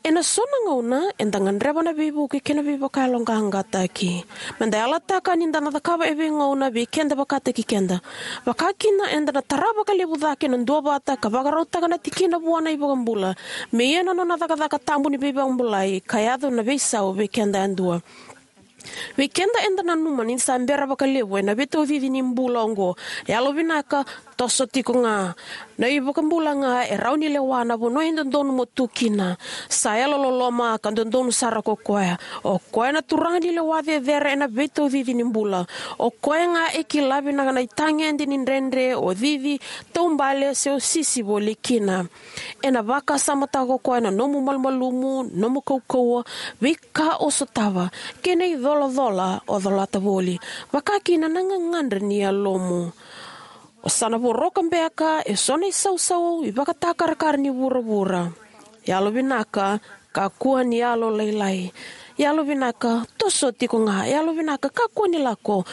Ena so na gauna, eda gadreva na veivuke kei na veivakayaloqaqataki. Meda yalataka ni da na cakava e veigauna vei keda vakataki keda. Vakakina, eda na tara vakalevu cake na duavata ka vakarautaka na tikina vua na iVakabula, me ia na nona cakacaka tabu ni veivakabulai ka yaco na veisau vei keda yadua. Vei keda eda nanuma ni sa bera vakalevu ena veitaucici ni bula oqo, yalovinaka, toso tiko ga. Na iVakabula ga e rawa ni lewa na vanua e dodonu mo tu kina. Sa yalololoma ka dodonu sara ko koya. O koya na Turaga ni lewa cecere ena veitaucici ni bula. O koya ga e kila vinaka na itagede ni dredre o cici, taubale, se o sisi voli kina. Ena vakasamataka ko koya na nomu malumalumu, nomu kaukauwa, veika o sotava, kei na icolacola o colata voli, vakakina na gagadre ni yalomu. O sa na voroka beka eso na isausau ivakatakarakara ni vuravura. Yalovinaka, kakua ni yalolailai. Yalovinaka, toso tiko ga. Yalovinaka, kakua ni lako.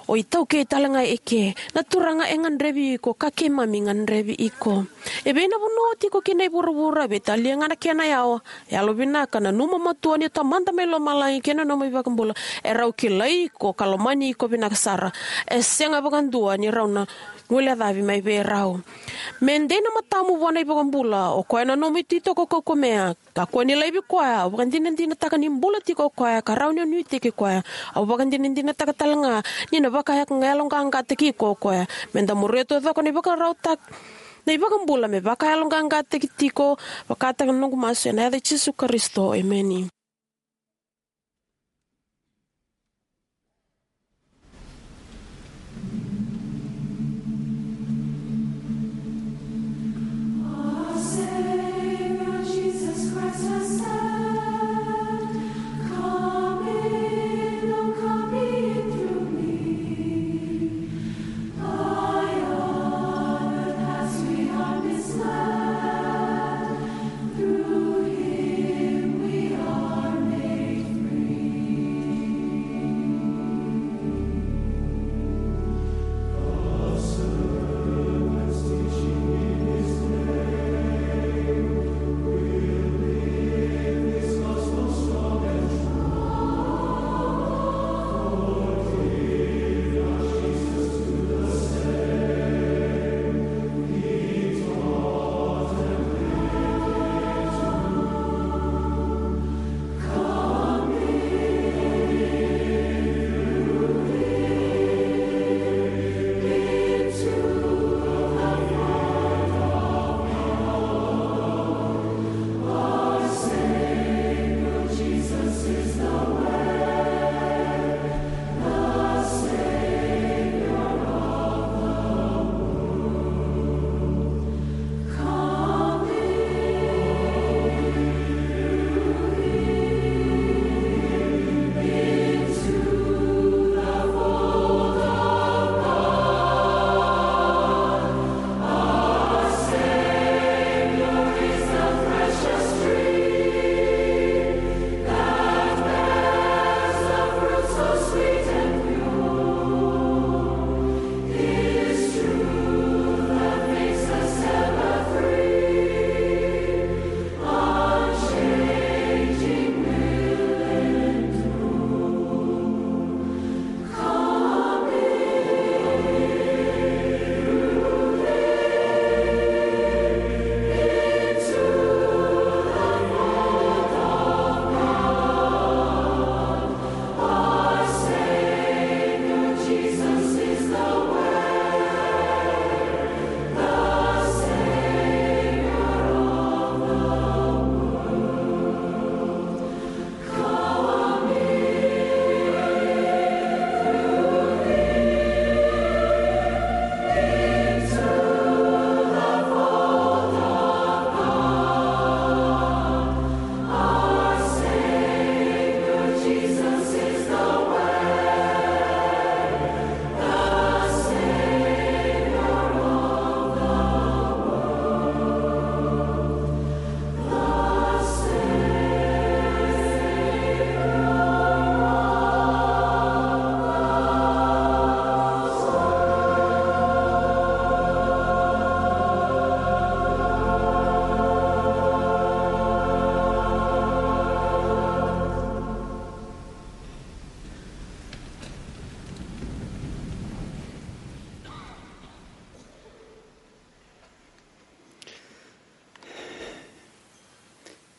O itaukei tale ga eke. Na Turaga e gadrevi iko, ka keimami gadrevi iko. E vei na vanua o tiko kina e vuravura, veitalia ga na kena yawa. Yalovinaka, nanuma matua ni o Tamada mai lomalagi kei na nomu iVakabula e rau kilai iko ka lomani iko vinaka sara. E sega vakadua ni rau na guilecavi mai vei rau. Me dei na matamu vua na iVakabula, o koya na nomu ititoko kaukamea. Kakua ni laivi koya, au vakadinadinataka ni bula tiko o koya ka rawa ni o nuitaki koya. Au vakadinadinataka tale ga ni na vakayaloqaqataki iko o koya. Meda muria taucoko na ivakarautaki na iVakabula me vakayaloqaqataki tiko. Vakataka na noqu masu ena yaca i Jisu Karisito, emeni.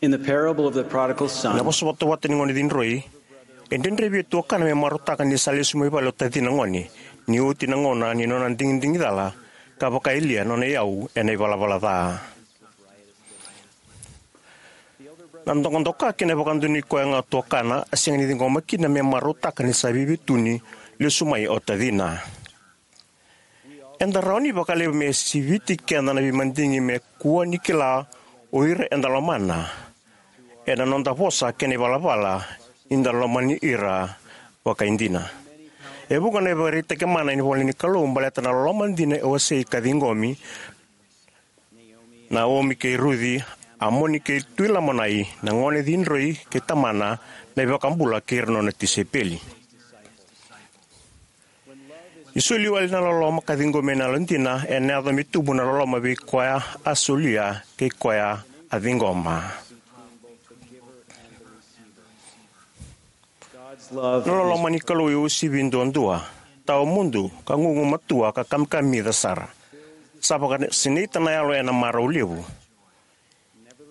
In the parable of the prodigal Na son, vosa vatavata ni gone cidroi, e dredre vei tuakana me marautaka ni sa lesu mai vale o tacina gone, ni oti na gauna ni nona digidigi cala, ka vakayalia nona iyau ena ivalavala ca. Na dokadoka kei na vakadonui koya ga o tuakana a sega ni ciqoma kina me marautaka ni sa veiveituni lesu mai o tacina. Eda rawa ni vakalevu me siviti keda na veimadigi me kua ni kila o ira eda lomana, ena noda vosa kei na ivalavala ni da lomani ira vakaidina. E vuqa na ivakaraitaki mana ena ivola ni Kalou baleta na loloma dina e wasei ka ciqomi, Naomi kei Ruci, Amoni kei Tui Lamanai, na gone cidroi kei tamana, na iVakabula kei ira nona tisaipeli. Ni soli wale na loloma ka ciqomi ena yalodina, ena yaco me tubu na loloma vei koya a solia kei koya a ciqoma. Na loloma ni Kalou e uasivi duadua, tawamudu, ka gugumatua, ka kamikamica sara. Sa vakasinaita na yalo ena marau levu.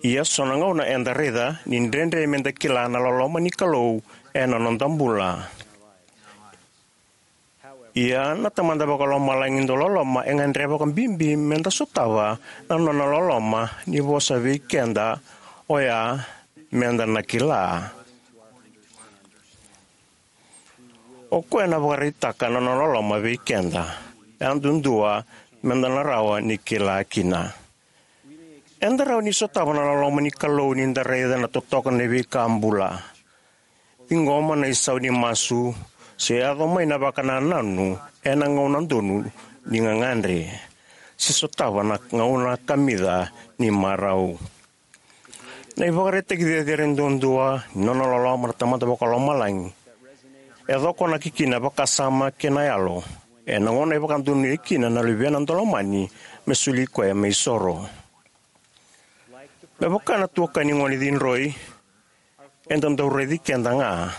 Ia so na gauna eda raica ni dredre meda kila na loloma ni Kalou ena noda bula. Ia na Tamada Vakalomalagi dau loloma e gadreva vakabibi meda sotava na nona loloma ni vosa vei keda oya meda na kila. O koya na vakaraitaka na nona loloma vei keda. Yadudua meda na rawa ni kila kina. Eda rawa ni sotava na loloma ni Kalou ni da raica na totoka na veika bula. Ciqoma na isau ni masu, se yaco mai na vakanananu ena gauna donu ni gagadre, se sotava na gauna kamica ni marau. Na ivakaraitaki cecere duadua ni nona loloma na Tamada Vakalomalagi e cokonaki kina vakasama kei na yalo ena gauna e vakadonui kina na luvena daulomani me soli koya me isoro. Me vaka na tuakani gone cidroi, eda dau raici keda ga.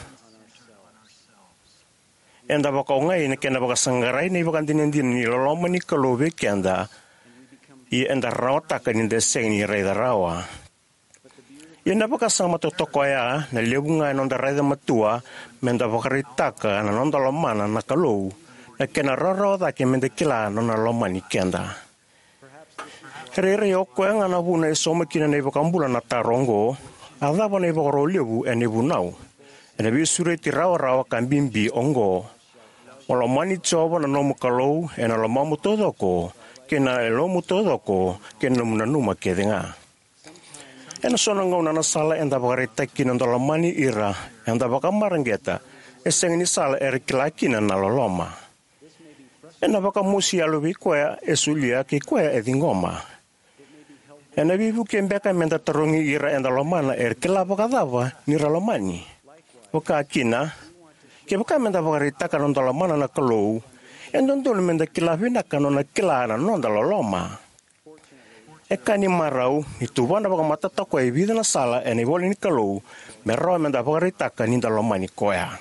Eda vakaogai ena kena vakasaqarai na ivakadinadina ni loloma ni Kalou vei keda, ia eda rawataka ni da sega ni raica rawa. Ia na vakasama totoka oya, na levu ga ena noda raica matua meda vakaraitaka na noda lomana na Kalou, na kena rawarawa cake meda kila na nona lomani keda. E rairai o koya ga na vuna e sauma kina na iVakabula na taro oqo: A cava na ivakaro levu ena ivunau? Ena veisureti rawarawa ka bibi oqo: Mo lomani Jiova na nomu Kalou ena lomamu taucoko, kei na yalomu taucoko, kei na nomu nanuma kece ga. Ena so na gauna na sala eda vakaraitaka kina noda lomani ira eda vakamareqeta e sega ni sala era kila kina na loloma. Ena vakamosi yalo vei koya e solia kei koya e ciqoma. Ena veivuke beka meda tarogi ira eda lomana era kila vakacava ni ra lomani. Vakakina, kevaka meda vakaraitaka na noda lomana na Kalou, e dodonu meda kila vinaka nona kila na noda loloma. E ka ni marau ni tuvana vakamatata o koya e vica na sala ena ivola ni Kalou me rawa meda vakaraitaka ni da lomani koya.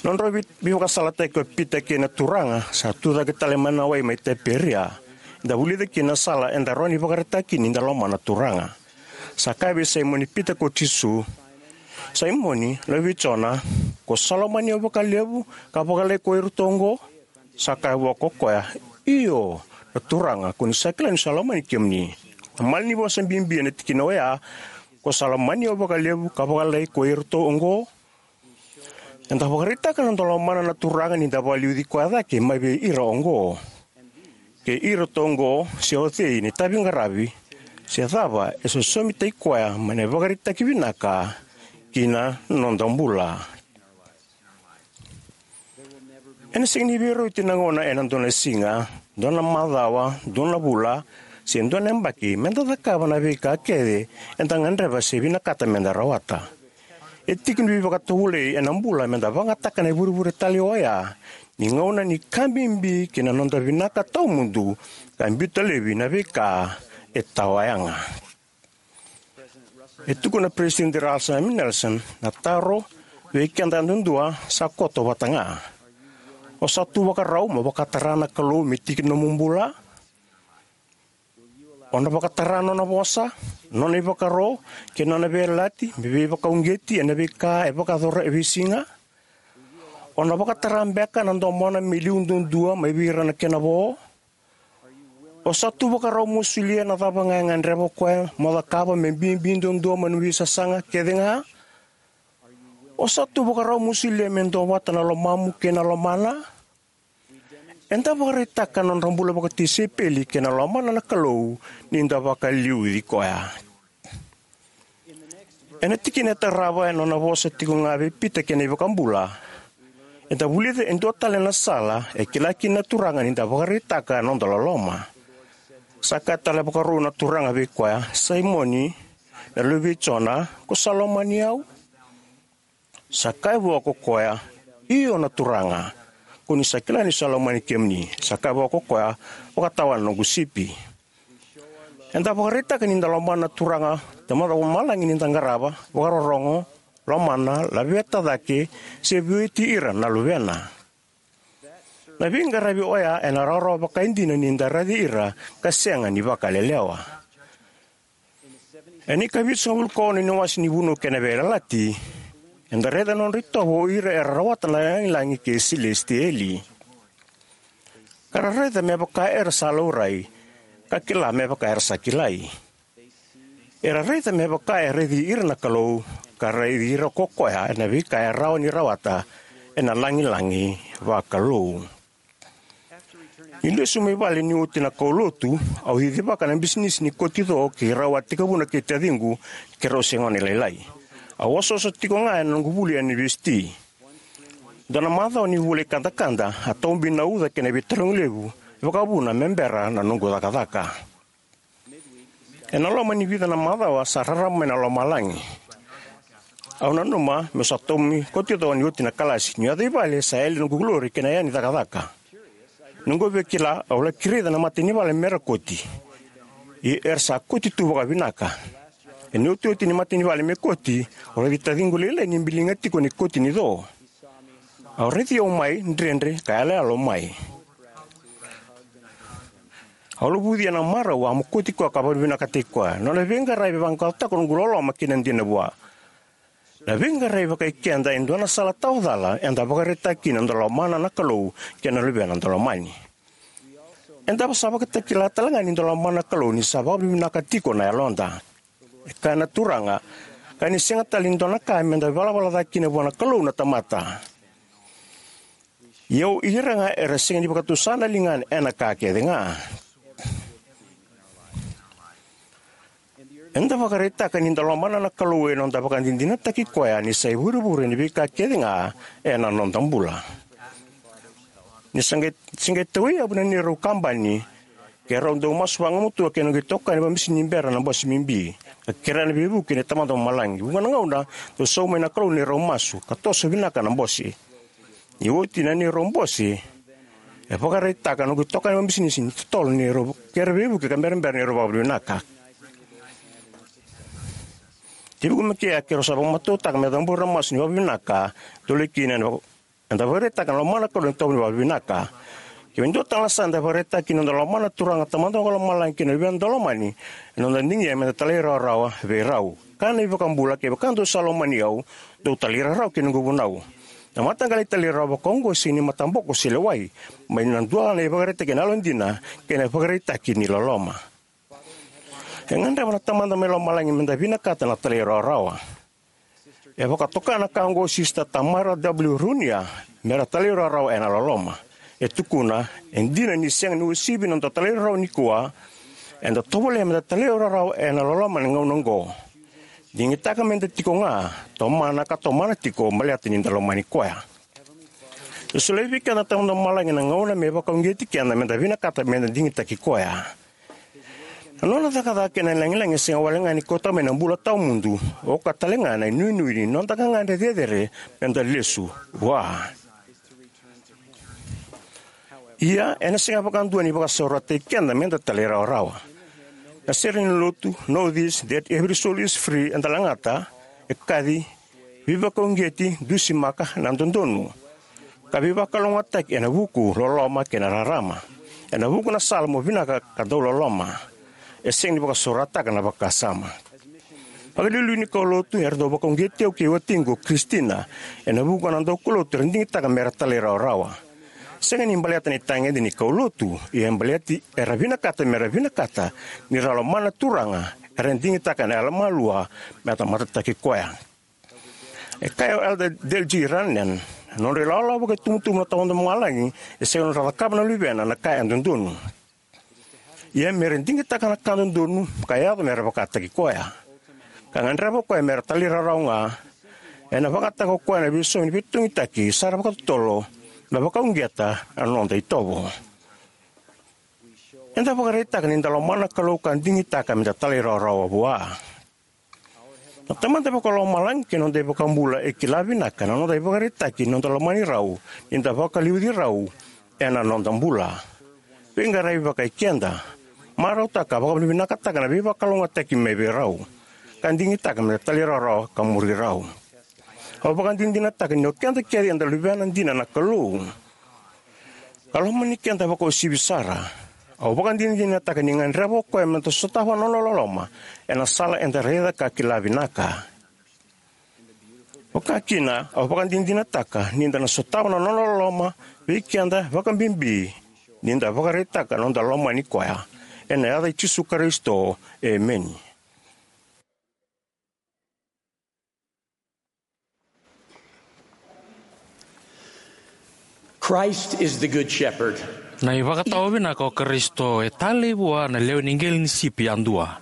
Nodrau vei- veivakasalataki o Pita kei na Turaga, sa tucake tale mai na wai mai Tiperia, eda vulica kina na sala eda rawa ni vakaraitaka kina ni da lomana na Turaga. Sa kaya vei Saimoni Pita ko Jisu: Saimoni, luve i Jona, ko sa lomani au vakalevu ka vakalailai ko iratou oqo? Sa kaya vua ko koya: Io, na Turaga, ko ni sa kila niu sa lomani kemuni. Na malanivosa bibi ena tikina oya, ko sa lomani au vakalevu ka vakalailai ko iratou oqo. Eda vakaraitaka na noda lomana na Turaga ni da vakaliuci koya cake mai vei ira oqo: Kei iratou oqo, se o cei na itaviqaravi, se cava e sosomitaki koya mai na ivakaraitaki vinaka ki na noda bula. Ena sega ni veirauti na gauna ena dua na siga, dua na macawa, dua na vula, se dua na yabaki meda cakava na veika kece eda gadreva se vinakata meda rawata. E tiki ni veivakatovolei ena bula meda vakayagataka na ivurevure talei oya ni gauna ni ka bibi ki na noda vinaka tawamudu, ka biuta laivi na veika e tawayaga. E tukuna Peresitedi Russell M. Nelson, na taro vei keda yadudua sa koto vata ga: O sa tu vakarau mo vakatara na Kalou me tiki ni nomu bula? O na vakatara nona vosa, nona ivakaro, kei na nona veiyalayalati me veivakauqeti ena veika e vakayacora e veisiga? O na vakatara beka na domona me liu duadua mai vei ira na kena vo? O sa tu vakarau mo solia na cava ga e gadreva o koya mo cakava me bibi duadua mai na veisasaga kece ga? O sa tu vakarau mo solia me duavata na lomamu kei na lomana? Eda vakaraitaka na nodra bula vakatisaipeli kei na lomana na Kalou ni da vakaliuci koya. Ena tikina e tarava, ena nona vosa tiko ga vei Pita kei na iVakabula, eda vulica e dua tale na sala e kila kina na Turaga ni da vakaraitaka na noda loloma. Sa kaya tale vakarau na Turaga vei koya, "Saimoni, na luve i Jona, ko sa lomani au?" Sa kaya vua ko koya, "Io na Turaga, ko ni sa kila ni sa lomani kemuni." Sa kaya vua ko koya, "Vakatawa na noqu sipi." Eda vakaraitaka ni da lomana na Turaca, Tamada Vakalomalagi, ni da qarava, vakarorogo, lomana, laveta cake, se veiweti ira na luvena. Na veiqaravi oya ena rawarawa vakaidina ni da raici ira ka sega ni vakalelewa. Ena ikavitusagavulu ka ono ni wase ni Vunau kei na Veiyalayalati, eda raica na nodra itovo o ira era rawata na lagilagi kei silesitieli. Ka ra raica me vaka era sa laurai, ka kila me vaka era sa kilai. Era raica me vaka e raici ira na Kalou, ka raici ira ko koya ena veika e rawa ni rawata ena lagilagi vakalou. Ni lesu mai vale ni oti na kaulotu, au cicivaka na bisinisi ni koti co kei rau a tekivuna kei taciqu, keirau se gone lailai. Au osooso tiko ga ena noqu vuli ena univesiti. Dua na macawa ni vula i kadakada, a taubi na uca kei na veitarogi levu, e vakavuna me bera na noqu cakacaka. Ena loma ni vica na macawa sa rarama mai na lomalagi. Au nanuma meu sa tomi koti co ni oti na kalasi, niu yaco i vale sa yali noqu lori kei na yani cakacaka. Noqu via kila, au laki raica na mata ni vale mera koti. Ia era sa koti tu vakavinaka. Ena iotioti ni mata ni vale me koti, au raici taciqu lailai ni biliga tiko ni koti ni co. Au raici au mai dredre ka yaloyalo mai. Au lovuci ena marau a mokoti koya ka vakavinavinakataki koya. Nona veiqaravi e vaqaqacotaka noqu loloma kei na dina vua. Na veiqaravi vakai keda e dua na sala tawa cala eda vakaraitaka kina noda lomana na Kalou kei na luvena da lomani. Eda sa vakatakila tale ga ni da lomana na Kalou ni sa vakavinavinaka tiko na yaloda. E kaya na Turaga, ka ni sega tale ni dua na ka meda valavala cake kina vua na Kalou na tamata. Ia o ira ga era sega ni vakatusa na ligana ena ka kece ga. Eda vakaraitaka ni da lomana na Kalou ena noda vakadinadinataki koya ni sa ivurevure ni veika kece ga ena noda bula. Ni sa qai, sa qai tauyavu na neirau kabani, keirau dau masu vagumatua kei na noqu itokani vabisi ni bera na bose bibi, ka kerea na veivuke ni Tamada Vakalomalagi. Vuqa na gauna dau sau mai na Kalou neirau masu ka toso vinaka na bose. Ni oti na neirau bose, e vakaraitaka na noqu itokani vabisi ni totolo neirau kerea veivuke ka berabera neirau vakavinavinaka. Tiko mai kea keirau sa vakamatautaka me cabora na masu ni vakavinavinaka, tolei kina eda vakaraitaka na lomana na Kalou ena itovo ni vakavinavinaka. Kevaka e dua tale na sala eda vakaraitaka kina noda lomana na Turaga, Tamada Vakalomalagi kei na luvena da lomani, ena noda digia meda talairawarawa vei rau. Kaya na iVakabula, kevaka dou sa lomani au, dou talairawarawa ki na noqu vunau. Na mataqali talairawarawa vakaoqo e sega ni mataboko se lewai, mai na dua na ivakaraitaki ena yalodina kei na ivakaraitaki ni loloma. E gadreva na Tamada mai lomalagi meda vinakata na talairawarawa. E vakatoka na ka oqo o Sisita Tamara W. Runia, mera talairawarawa ena loloma. E tukuna, e dina ni sega ni uasivi na noda talairawarawa nikua, eda tovolea meda talairawarawa ena loloma ena gauna oqo. Digitaka meda tiko ga, tomana ka tomana tiko baleta ni da lomani koya. E solia vei keda na Tamada Vakalomalagi na gauna me vakauqeti keda meda vinakata meda digitaki koya. Na nona cakacaka kei na lagilagi e sega wale ga ni kauta mai na bula tawamudu, oka tale ga na inuinui ni noda gagadre cecere meda lesu vua. Ia, ena sega vakadua ni vakasaurarataki keda meda talairawarawa. Na sere ni lotu, Know This, That Every Soul Is Free, eda lagata, e kaci, veivakauqeti, dusimaka, na dodonu, ka veivakalougatataki ena vuku, loloma kei na rarama. Ena vuku na sala mo vinaka ka dau loloma. e sega ni vakasorataka na vakasama. Vakaliuliu ni kaulotu era dau vakauqeti au kei watiqu o Kristina ena vuqa na daukaulotu era digitaka mera talairawarawa. Sega ni baleta ni tagede ni kaulotu, ia e baleti era vinakata mera vinakata ni ra lomana na Turaga, era digitaka na yalomalua me tamata taki koya. E kaya o Elder Dale G. Rennan, na nodra ilawalawa vakaitubutubu na Tamada Vakalomalagi e sega ni nodra cakava na luvena na ka e dodonu, ia mera digitaka na ka dodonu ka yaco mera vakataki koya, ka gadreva o koya mera talairawarawa ga. Ena vakayagataka o koya na veisomi ni veitokitaki sara vakatotolo, na vakauqeta na noda itovo. Eda vakaraitaka ni da lomana na Kalou ka digitaka meda talairawarawa vua. Na Tamada Vakalomalagi kei na noda iVakabula e kila vinaka na noda ivakaraitaki ni noda lomani rau ni da vakaliuci rau ena noda bula, veiqaravi vakaikeda, marautaka, vakavinavinakataka na veivakalougatataki mai vei rau, ka digitaka meda talairawarawa ka muri rau. Au vakadinadinataka ni o keda kece eda luvena dina na Kalou, ka lomani keda vakauasivi sara. Au vakadinadinataka ni gadreva o koya meda sotava na nona loloma ena sala eda raica ka kila vinaka. Vakakina, au vakadinadinataka ni da na sotava na nona loloma vei keda, vakabibi ni da vakaraitaka na noda lomani koya. Ena yaca i Jisu Karisito, emeni. Christ is the Good Shepherd. Na ivakatawa vinaka o Karisito e talei vua na lewe ni qele ni sipi yadua.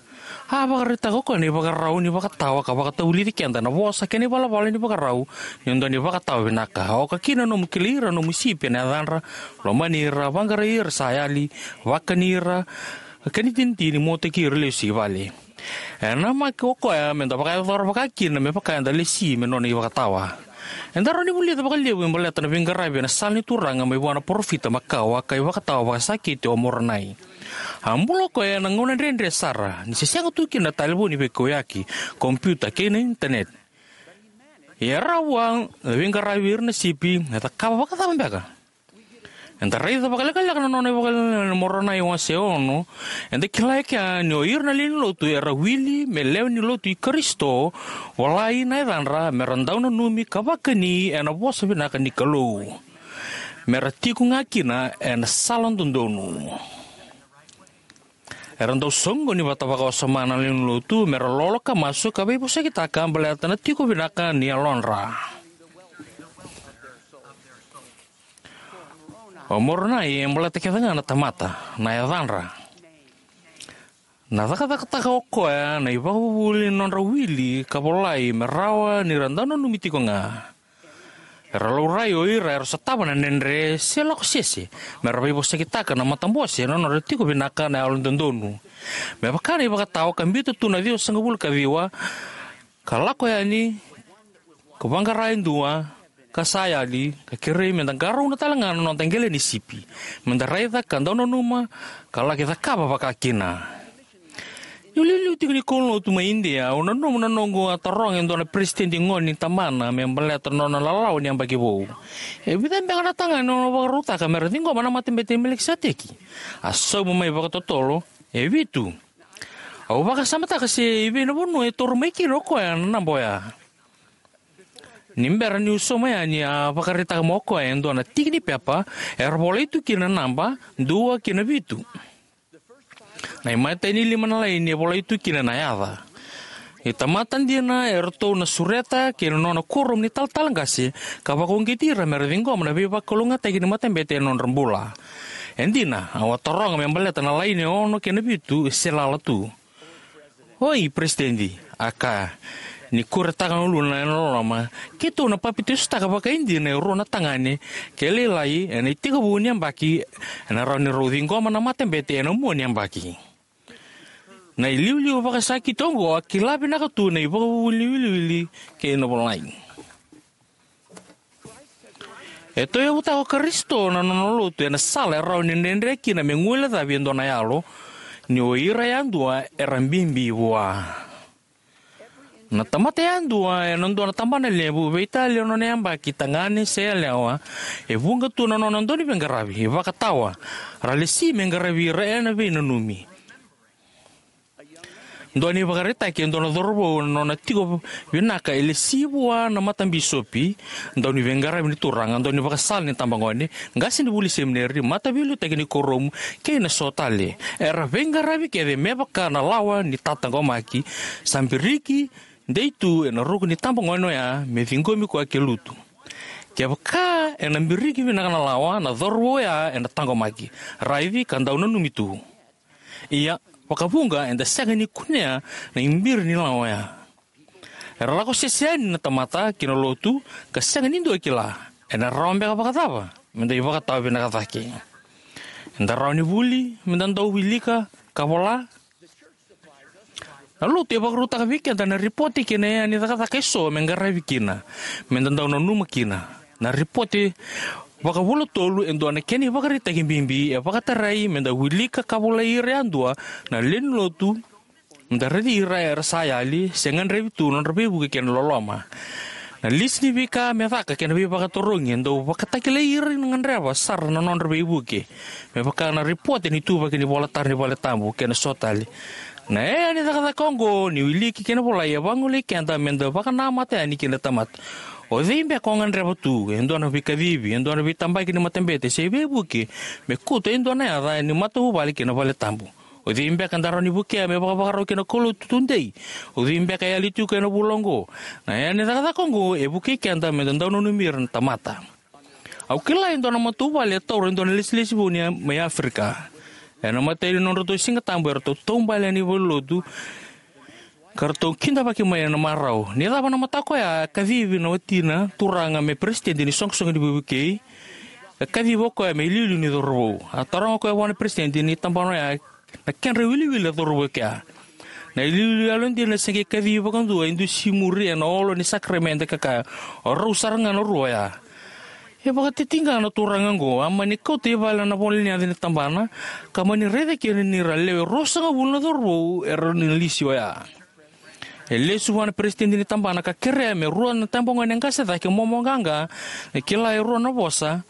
A vakaraitaka o koya na ivakarau ni vakatawa ka vakatavulici keda na vosa kei na ivalavala ni vakarau ni dua na ivakatawa vinaka. Oka kina na nomu kilai ira na nomu sipi ena yacadra, lomani ira, vaqarai ira sa yali, vakani ira, ka ni tinitini mo teki ira lesu i vale. E namaki o koya meda vakayacora vakakina me vaka eda lesi me nona ivakatawa. Eda rawa ni vulica vakalevu me baleta na veiqaravi ena sala ni Turaga mai vua na parofita makawa ka ivakatawa vakasakiti o Moronai. A bula o koya ena gauna dredre sara, ni se sega tu kina na talevoni veikauyaki, kompiuta kei na initaneti. Ia e rawa vua na veiqaravi ira na sipi, e cakava vakacava beka? Eda raica vakalekaleka na nona ivakalewe na Moronai wase ono. Eda kila e kea ni o ira na lewe ni lotu era wili me lewe ni lotu i Karisito, volai na yacadra, mera dau nanumi ka vakani ena vosa vinaka ni Kalou, mera tiko ga kina ena sala dodonu. Era dau soqoni vata vakawasoma na lewe ni lotu mera lolo ka masu ka veivosakitaka baleta na tiko vinaka ni yalodra. O Moronai e baleta kece ga na tamata, na yacadra, na cakacakataka o koya na ivakavuvuli ni nodra wili ka volai me rawa ni ra dau nanumi tiko ga. Era laurai o ira era sotava na dredre se lako sese, mera veivosakitaka na matabose na nodra tiko vinaka na yalododonu. Me vaka na ivakatawa ka biuta tu na ciwasagavulu ka ciwa, ka lako yani, ka vaqara e dua ka sa yali, ka kerei meda qarauna tale ga na noda qele ni sipi, meda raica ka dau nanuma, ka laki cakava vakakina. Niu liuliu tiko ni kaulotu mai Idia, au nanuma na noqu a taroga e dua na peresitedi gone ni tabana me baleta na nona lalawa ni yabaki vou. E vica beka na tagane o na vakarautaka mera ciqoma na matabete i Melikiseteki? A sauma mai vakatotolo, e vitu. Au vakasamataka se i vei na vanua e taura mai kina o koya na naba oya. Ni bera niu sauma yani, a vakaraitaka mai o koya e dua na tiki ni pepa era volai tu kina na naba, dua ki na vitu. Na imatai ni lima na laini e volai tu kina na yaca. Ni tamata dina eratou na sureta ki na nona kuoramu ni talatala qase, ka vakauqeti ira mera ciqoma na veivakalougatataki ni matabete ena nodra bula. E dina, au a taroga me baleta na laini e ono kei na vitu se lala tu. Oi, Peresitedi, a kaya, ni kuretaka na uluna ena loloma, keitou na papitaisotaka vakaidina e rua na tagane kei lailai ena itekivu ni yabaki, ena rawa ni rau ciqoma na matabete ena mua ni yabaki. Na iliuliu vakasakiti oqo a kila vinaka tu na ivakavuvuli ni wiliwili kei na volai. E tauyavutaka o Karisito na nona lotu ena sala e rawa ni dredre kina me guilecavi e dua na yalo, ni o ira yadua era bibi vua. Na tamata yadua ena dua na tabana levu, veitalia na nona yabaki, tagane se yalewa, e vuqa tu na nona dau ni veiqaravi, ivakatawa, ra lesi me qaravi ira ena veinanumi. Dua na ivakaraitaki e dua na cauravou na nona tiko vinaka e lesi vua na matabisopi, dauniveiqaravi ni turaga, daunivakasala ni tabagone, qasenivuli semineri, mataveiliutaki ni kuoramu, kei na so tale. Era veiqaravi kece me vaka na lawa ni tataqomaki, sa biriki dei tu ena ruku ni tabagone oya me ciqomi koya ke lutu. Kevaka ena biriki vinaka na lawa, na cauravou oya ena taqomaki, raici ka dau nanumi tu. Ia, vakavuqa eda sega ni kunea na ibiri ni lawa oya. Era lako sese yani na tamata ki na lotu, ka sega ni dua e kila. Ena rawa beka vakacava meda ivakatawa vinaka cake? Eda rawa ni vuli meda dau wilika ka vola. Na lotu e vakarautaka vei keda na ripote kei na iyaya ni cakacaka eso me qaravi kina, meda dau nanuma kina. Na ripote vakavula tolu e dua na kena ivakaraitaki bibi, e vakatarai meda wilika ka volai ira yadua na lewe ni lotu, meda raici ira era sa yali se gadrevi tu na nodra veivuke kei na loloma. Na lisi ni veika me caka kei na veivakatarogi e dau vakatakilai ira ni gadreva sara na nodra veivuke, me vaka na ripote ni ituvaki ni ivolatara ni valetabu kei na so tale. Na iyaya ni cakacaka oqo ni wiliki kei na volai e vagolei keda meda vakanamata yani kei na tamata. O cei beka o gadreva tu e dua na veikacivi, e dua na veitabaki ni matabete se veivuke me kauta e dua na yaca ni matavuvale kei na valetabu? O cei beka eda rawa ni vukea me vakavakarau kei na kaulotu tudei? O cei beka e yali tiko ena vula oqo? Na iyaya ni cakacaka oqo e vukei keda meda dau nanumi ira na tamata. Au kila e dua na matavuvale e taura e dua na lesilesi vou ni, mai Aferika. Ena imatai ni nodratou Sigatabu eratou taubale yani valenilotu, ka ratou kidavaki mai ena marau. Ni cava na mataka oya, a kacivi na watina turaga me peresitedi ni soqosoqo ni veivukei. A kacivi o koya me iliuliu ni cauravou. A taroga o koya vua na peresitedi ni tabana oya na kedra iwiliwili na cauravou e kea. Na iliuliu yalodina se qai kacivi vakadua e dusimuri ena olo ni sakaramede ka kaya, "O rau sara ga na rua oya." E vakatitiqa na turaga oqo, a mani kauta i vale na vola ni yaca ni tabana, ka mani raica kina ni ra lewe ruasagavulu na cauravou era na lisi oya. E lesu vua na peresitedi ni tabana ka kerea me rua na tabagone qase cake momo qaqa, e kila e rua na vosa,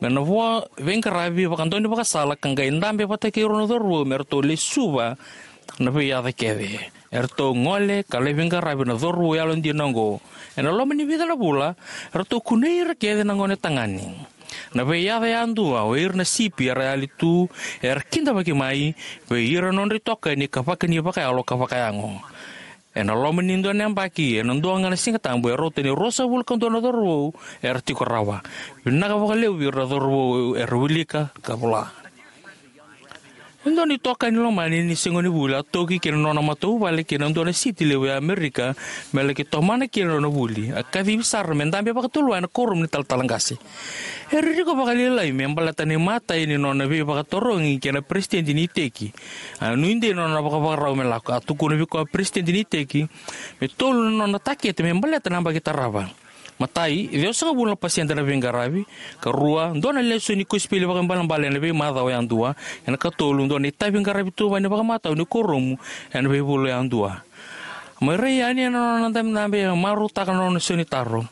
me na vo veiqaravi vakadaunivakasala ka qai dabe vata kei rua na cauravou me ratou lesuva na veiyaca kece. Eratou gole ka lai veiqaravi na cauravou yalodina oqo. Ena loma ni vica na vula, eratou kunei ira kece na gonetagane. Na veiyaca yadua, o ira na sipi era yali tu, era kidavaki mai vei ira na nodra itokani ka vakani vakayalo ka vakayago. Ena loma ni dua na yabaki, ena dua ga na Sigatabu, e rauta ni ruasagavulu ka dua na cauravou era tiko rawa. Vinaka vakalevu vei ira na cauravou era wilika ka vola. E dua na itokani lomani ni sega ni vuli a toki ki na nona matavuvale ki na dua na siti levu e Amerika me laki tomana kina na nona vuli. A kacivi sara me dabe vakatulewai ena kuoramu ni talatala qase. E ririko vakalailai me baleta na imatai ni nona veivakatarogi kei na peresitedi ni iteki. A nuidei na nona vakavakarau me lako. A tukuna vei koya na peresitedi ni iteki me tolu na nona takete me baleta na yabaki tarava. Matai, ciwasagavulu na pasede na veiqaravi. Karua, dua na lesoni kosipeli vakaibalebale ena veimacawa yadua. Ena katolu, dua na itavi qaravi tuvani vakamatau ni kuoramu ena veivula yadua. Mai rai yani ena nona dabedabe, e marautaka na nona sau ni taro.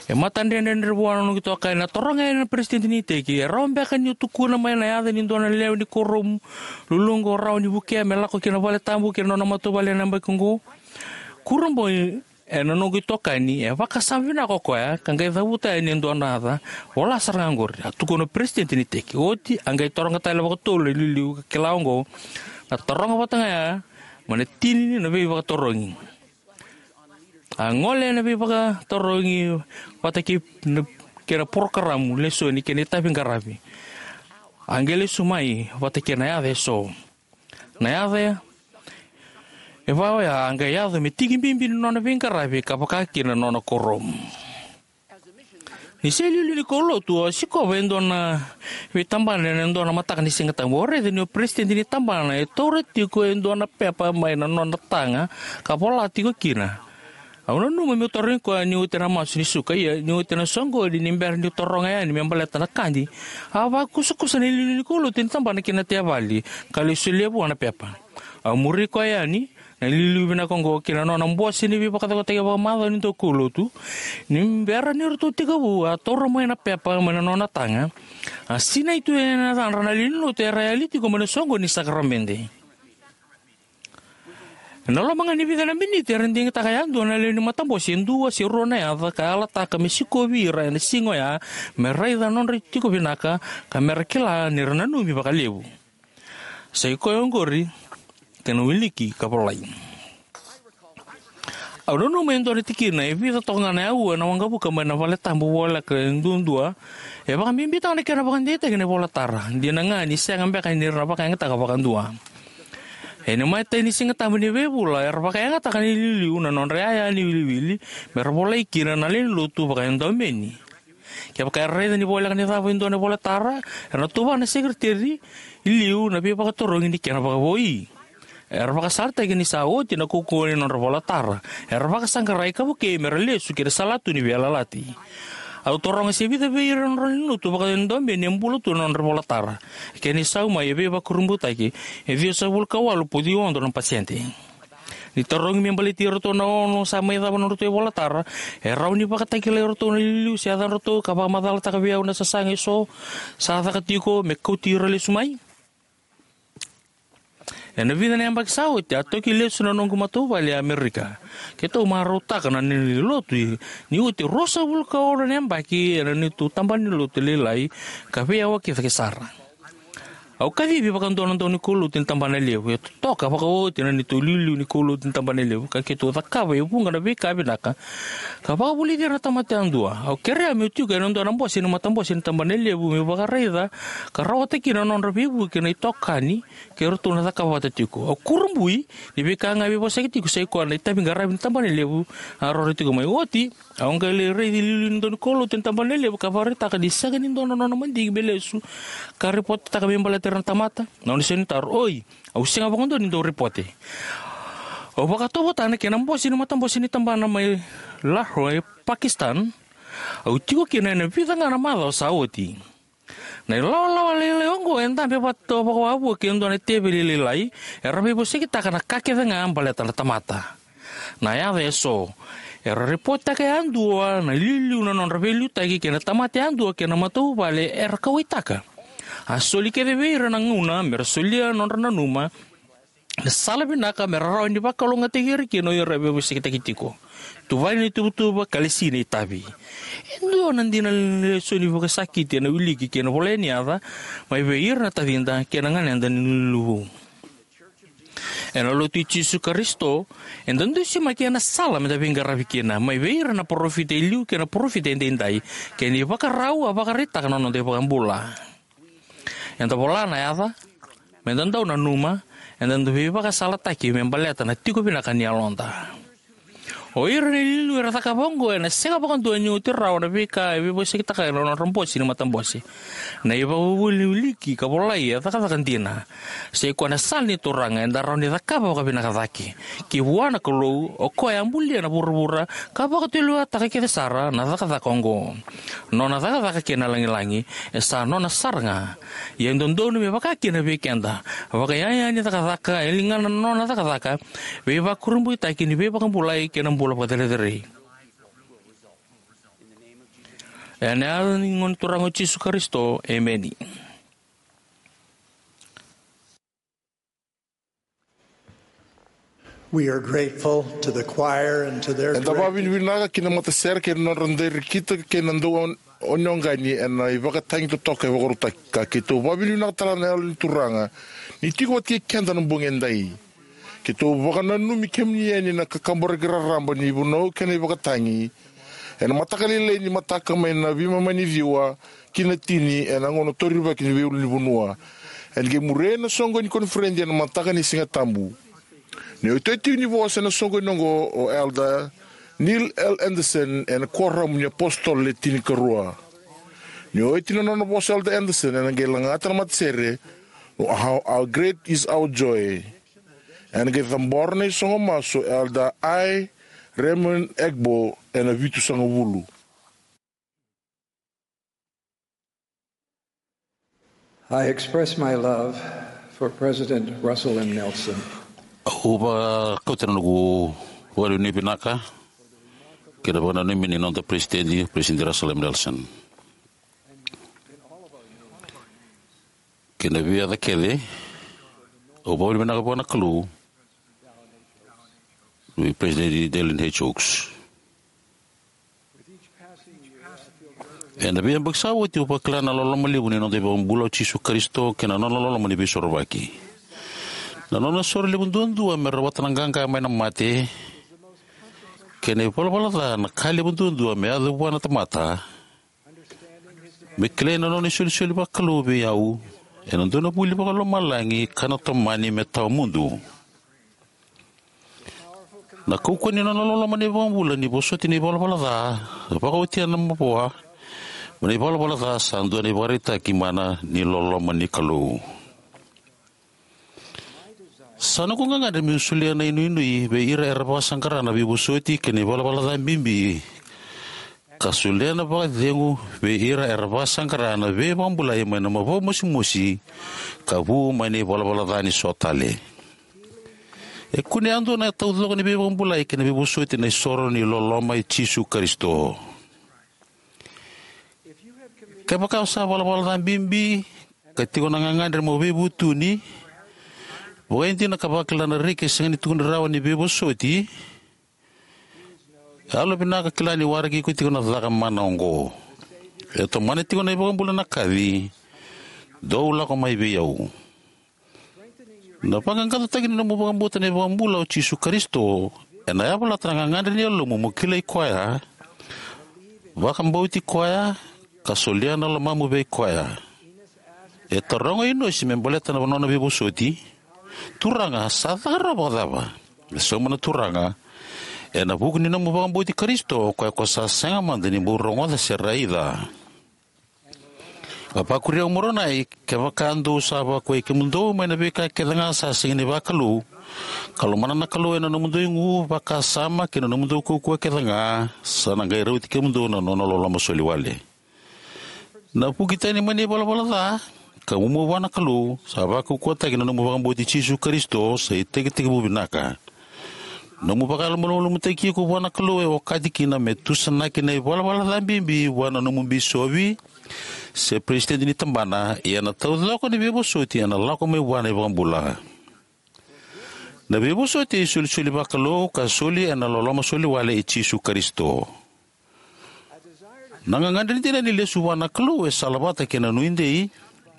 E matadredredre vua na noqu itokani, na toroga yani na peresitedi ni iteki, "E rawa beka niu tukuna mai na yaca ni dua na lewe ni kuoramu luluqa o rawa ni vukea me lako ki na valetabu kei na nona matavuvale ena yabaki oqo?" Kurabui ena noqu itokani, e vakasama vinaka o koya ka qai cavuta yani e dua na yaca. Vola sara ga oqori, a tukuna na peresitedi ni iteki. Oti a qai taroga tale vakatolu na iliuliu ka kila oqo, na taroga vata ga ya mai na tini na veivakatarogi. A gole ena veivakatarogi vata kei na, kei na porokaramu lesoni kei na itavi qaravi. A qai lesu mai vata kei na yaca eso. Na yaca e va oya a qai yaco me tiki bibi ni nona veiqaravi ka vaka kina na nona kuoramu. Ni se iliuliu ni kaulotu, au sikova e dua na veitabana ena dua na mataka ni Sigatabu. Au raica ni o peresitedi ni tabana e taura tiko e dua na pepa mai na nona taga ka vola tiko kina. Au nanuma meu tarogi koya ni oti na masu ni suka, ia ni oti na soqoni ni bera niu taroga yani me baleta na kadi, a vakusakusa na iliuliu ni kaulotu ni tabana ki na tevali ka lai solia vua na pepa. Au muri koya yani, na iliuliu vinaka oqo, ki na nona bose ni veivakacaukataki vakamacawa ni daukaulotu. Ni bera ni ratou tekivu, a taura mai na pepa mai na nona taga. A sinai tu ena yacadra na lewe ni lotu era yali tiko mai na soqoni ni sakaramede. Ena loma ga ni vica na miniti era digitaka yadua na lewe ni matabose e dua se rua na yaca ka yalataka me sikovi ira ena siga oya, me raica na nodra tiko vinaka, ka me ra kila ni ra nanumi vakalevu. Sa i koya oqori kei na wiliki ka volai. Au nanuma e dua na tikina e vica toka ga na aua ena waqavuka mai na valetabu voleka e duadua, e vakabibitaka na kena vakadeitaki na ivolatara, dina ga ni sega beka ni ra vakayagataka vakadua. Ena imatai ni Siga Tabu ni veivula era vakayagataka na iliuliu na nodra iyaya ni wiliwili me ra volai kina na lewe ni lotu vakaedaumeni. Kevaka era raica ni voleka ni cava e dua na ivolatara, era na tuvana na sekeriteri i liu na veivakatarogi ni kena vakavoui. Era vakasalataki ni sa oti na kaukauwa ni nodra ivolatara. Era vakasaqarai ka vukei me ra lesu ki na salatu ni veiyalayalati. Au taroga se vica vei ira na nodra lewe ni lotu vakaedaumeni e bula tu na nodra ivolatara. Kena isau mai e veivakurabuitaki, e ciwasagavulu ka walu poidi ono na pasede. Ni tarogi me baleti iratou na ono sa mai cava na nodratou ivolatara, e rawa ni vakatakilai iratou na iliuliu se yacadratou ka vakamacalataka vei au na sasaga eso sa caka tiko me kauti ira lesu mai? Ena vica na yabaki sa oti, a toki lesu na noqu matavuvale e Amerika. Keitou marautaka na nona lewe ni lotu ni oti e ruasagavulu ka ono na yabaki ena neitou tabana ni lotu lailai ka veiyawa cake sara. Au kacivi vakadua na dau ni kaulotu ni tabana levu, e totoka vakaoti na neitou iliuliu ni kaulotu ni tabana levu, ka keitou cakava e vuqa na veika vinaka ka vakavulici ira na tamata yadua. Au kerea meu tiko ena dua na bose ni matabose ni tabana levu meu vakaraica ka rawata kina na nodra veivuke na itokani kei ratou na cakava vata tiko. Au kurabui ni veika ga e veivosaki tiko sa i koya na itaviqaravi ni tabana levu a roro tiko mai. Oti, au qai lai raici iliuliu ni dau ni kaulotu ni tabana levu ka vakaraitaka ni sega ni dua na nona madigi me lesu ka ripotetaka me baleta ira na tamata. Na nona isau ni taro: "Oi, au sega vakadua ni dau ripote." Au vakatautauvatataka na kena bose ni matabose ni tabana mai Lahore, Pakistan. Au tiko kina ena vica ga na macawa sa oti. Na ilawalawa lailai oqo e dabe vata vakawavua kei na dua na teveli lailai, era veivosakitaka na ka kece ga baleta na tamata. Na yaca eso, era ripotetaka yadua na iliuliu na nodra veiliutaki kei na tamata yadua kei na matavuvale era kauwaitaka. A soli kece vei ira na gauna me ra solia na nodra nanuma na sala vinaka me ra rawa ni vakalougatataki ira kina o ira e veivosakitaki tiko. Tuvani na ituvatuva ka lesi na itavi. E dua na dina lesoni vakasakiti ena wiliki kei na volai ni yaca mai vei ira na tacida kei na ganeda ni luluvou. Ena Lotu i Jisu Karisito, eda dusimaki ena sala meda veiqaravi kina mai vei ira na parofita e liu kei na parofita edaidai, kei na ivakarau a vakaraitaka na noda iVakabula. Eda vola na yaca, meda dau nanuma, eda dau veivakasalataki me baleta na tiko vinaka ni yaloda. O ira na iliuliu era cakava oqo ena sega vakadua ni oti rawa na veika e veivosakitaka ena nodra bose ni matabose. Na ivakavuvuli ni wiliki ka volai e cakacaka dina. Sa i koya na sala ni Turaga eda rawa ni cakava vakavinaka cake. Ki vua na Kalou, o koya a bulia na vuravura ka vakatulewa taka kece sara na cakacaka oqo. Nona cakacaka kei na lagilagi e sa nona sara ga. Ia e dodonu me vaka kina vei keda. Vakaiyaya ni cakacaka e ligana na nona cakacaka, veivakurabuitaki ni veivakabulai kei na bula vakacerecerei. Ena yaca ni Gone Turaga o Jisu Karisito, emeni. We are grateful to the choir and to their Eda director. Vakavinavinaka ki na matasere kei na nodra dau rekitaki kei na dau on-, onioqani ena ivakatagi totoka e vakarautaki. Ka keitou vakavinavinaka tale na Yalo ni Turaga ni tiko vata kei keda na bogi edai. Keitou vakananumi kemuni yani na kakaburaki raraba ni vunau kei na ivakatagi. Ena mataka lailai ni mataka mai na veimama ni ciwa ki na tini ena gauna torivaki ni veiulunivanua. Ena qai muria na soqoni ni koniferedi ena mataka ni Siga Tabu. Ni oti tiko ni vosa ena soqoni oqo o Elder Neil L. Andersen ena Kuoramu ni iApositolo Le Tinikarua. Ni oti na nona vosa Elder Andersen ena qai lagata na matasere, "How, how great is our joy." Ena qai cabora na isogo masu Elder I. Raymond Egbo ena vitusagavulu. I express my love for President Russell M. Nelson. Au vakauta na noqu vakavinavinaka kei na vakananumi ni noda President, President Russell M. Nelson. Kei na veiyaca kece, au vakavinavinaka vua na Kalou Vei President Dallin H. Oaks. Ena veiyabaki sa oti au vakila na loloma levu ni noda iVakabula o Jisu Karisito kei na nona loloma ni veisorovaki. Na nona soro levu duadua me rawata na qaqa mai na mate kei na ivalavala ca na ka levu duadua me yaco vua na tamata. Me kilai na nona isolisoli vakalou vei au ena dua na vuli vakalomalagi ka na tomani me tawamudu. Na kaukauwa ni nona loloma na iVakabula ni vosoti na ivalavala ca, vakaotia na mavoa mai na ivalavala ca, sa dua na ivakaraitaki mana ni loloma ni Kalou. Sa noqu gagadre meu solia na inuinui vei ira era vakasaqara na veivosoti kei na ivalavala ca bibi, ka solia na vakacegu vei ira era vakasaqara na veivakabulai mai na mavoa mosimosi ka vu mai na ivalavala ca ni so tale. E kune yadua na taucoko ni veivakabulai kei na veivosoti na isoro ni loloma i Jisu Karisito. Kevaka o sa valavala ca bibi ka tiko na gagadre mo veivutuni, vakaidina ka vakila na reki e sega ni tukuni rawa ni veivosoti, yalovinaka kila ni waraki iko tiko na caka mana oqo. E tomana tiko na iVakabula na kaci, dou lako mai vei au. Na vaqaqacotaki ni nomu vakabauta na iVakabula o Jisu Karisito ena yavalata na gagadre ni yalomu mo kilai koya, vakabauti koya, ka solia na lomamu vei koya. E taroga o Inosi me baleta na nona veivosoti, Turaga, sa caka rawa vakacava? E sauma na Turaga, ena vuku ni nomu vakabauti Karisito, o koya ko sa sega mada ni bau rogoca se raica. A vakuria o Moronai, kevaka dou sa vakuai kemudou mai na veika kece ga sa sega ni vakalou, ka lomana na Kalou ena nomudou igu, vakasama kei na nomudou kaukauwa kece ga, sa na qai rauti kemudou na nona loloma soli wale. Na vuki tani mai na ivalavala ca ka mumu vua na Kalou, sa vakaukauwataki na nomu vakabauti Jisu Karisito, sa itekitekivu vinaka. Nomu vakayalomalumalumutaki iko vua na Kalou e okati kina me tusanaki na ivalavala ca bibi vua na nomu bisovi se peresitedi ni tabana, ia na taucoko ni veivosoti ena lako mai vua na iVakabula. Na veivosoti e isolisoli vakalou ka soli ena loloma soli wale i Jisu Karisito. Na gagadre dina ni lesu vua na Kalou e salavata kei na nuidei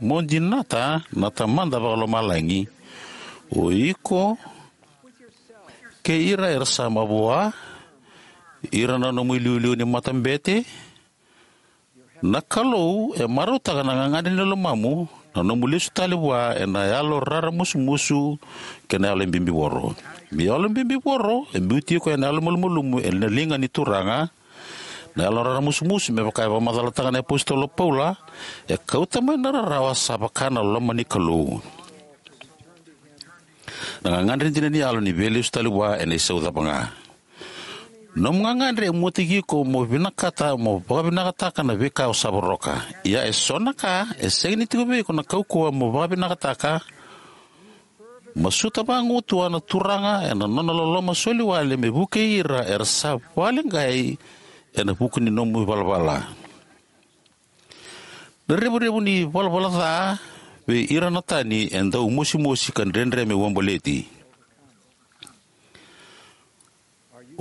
mo dinata na Tamada Vakalomalagi, o iko kei ira era sa mavoa, ira na nomu iliuliu ni matabete. Na Kalou e marautaka na gagadre ni lomamu, na nomu lesu tale vua ena yalo raramusumusu kei na yalo bibivoro. Ni yalo bibivoro e biuti iko ena yalo malumalumu ena liga ni Turaga. Na yalo raramusumusu, me vaka e vakamacalataka na iapositolo o Paula, e kauta mai na rarawa sa vaka na loma ni Kalou. Na gagadre dina ni yalo ni veilesu tale vua ena isau cava ga. Nomu gagadre e muataki iko mo vinakata mo vakavinakataka na veika o sa voroka. Ia e so na ka e sega ni tiko vei iko na kaukauwa mo vakavinakataka. Masuta vagumatua na Turaga ena nona loloma soli wale me vukei ira era sa vakaleqai ena vuku ni nomu ivalavala. Na revurevu ni valavala ca vei ira na tani e dau mosimosi ka dredre me uabaleti.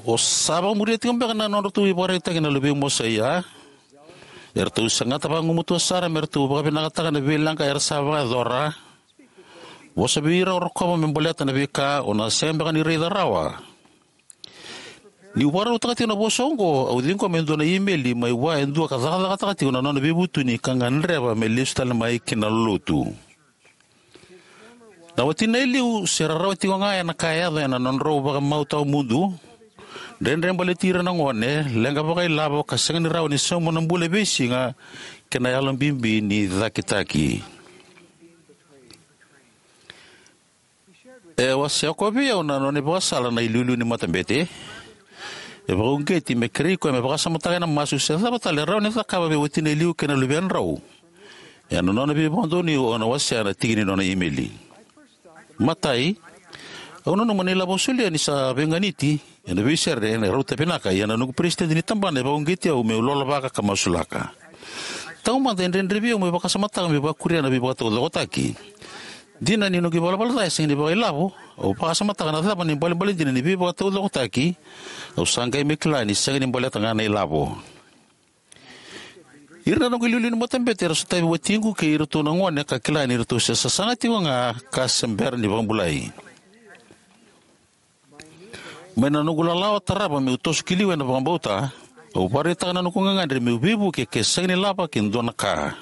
O sa vakamuria tiko beka na nodratou ivakaraitaki na luvei Mosaia? Eratou sagata vagumatua sara me ratou vakavinakataka na veileqa era sa vakayacora. Vosa vei ira o rokova me baleta na veika o na sega beka ni raica rawa. Niu vakarautaka tiko na vosa oqo, au ciqoma e dua na imeli mai vua e dua ka cakacakataka tiko na nona veivutuni ka gadreva me lesu tale mai ki na lotu. Na watina e liu se rarawa tiko ga ena ka e yaco ena nodrau vakamau tawamudu, dredre baleti ira na gone, leqa vakailavo ka sega ni rawa ni sauma na bula e veisiga, kei na yalo bibi ni cakitaki. E wasea koya vei au na nona ivakasala na iliuliu ni matabete. E vakauqeti me kerei koya me vakasamataka ena masu se cava tale e rawa ni cakava vei watina e liu kei na luvedrau. Ena nona veivakadonui au na wasea na tiki ni nona imeli. Matai, au nanuma na ilavo au solia ni sa veiganiti ena veisere ena rauta vinaka, ia na noqu peresitedi ni tabana e vakauqeti au meu lolovaka ka masulaka. Taumada e dredre vei au meu vakasamataka meu vakuria na veivakataucokotaki. Dina ni noqu ivalavala ca e sega ni vakailavo, Au vakasamataka na cava na ibalebale dina ni veivakataucokotaki. Au sa qai mai kila ni sega ni baleta ga na ilavo. Ira na noqu iliuliu ni matabete era sotavi watiqu kei iratou na gone ka kila ni ratou se sasaga tiko ga ka se bera ni vakabulai. Mai na noqu lalawa tarava meu toso ki liu ena vakabauta, au vakaraitaka na noqu gagadre meu veivuke ke sega ni lava ke dua na ka.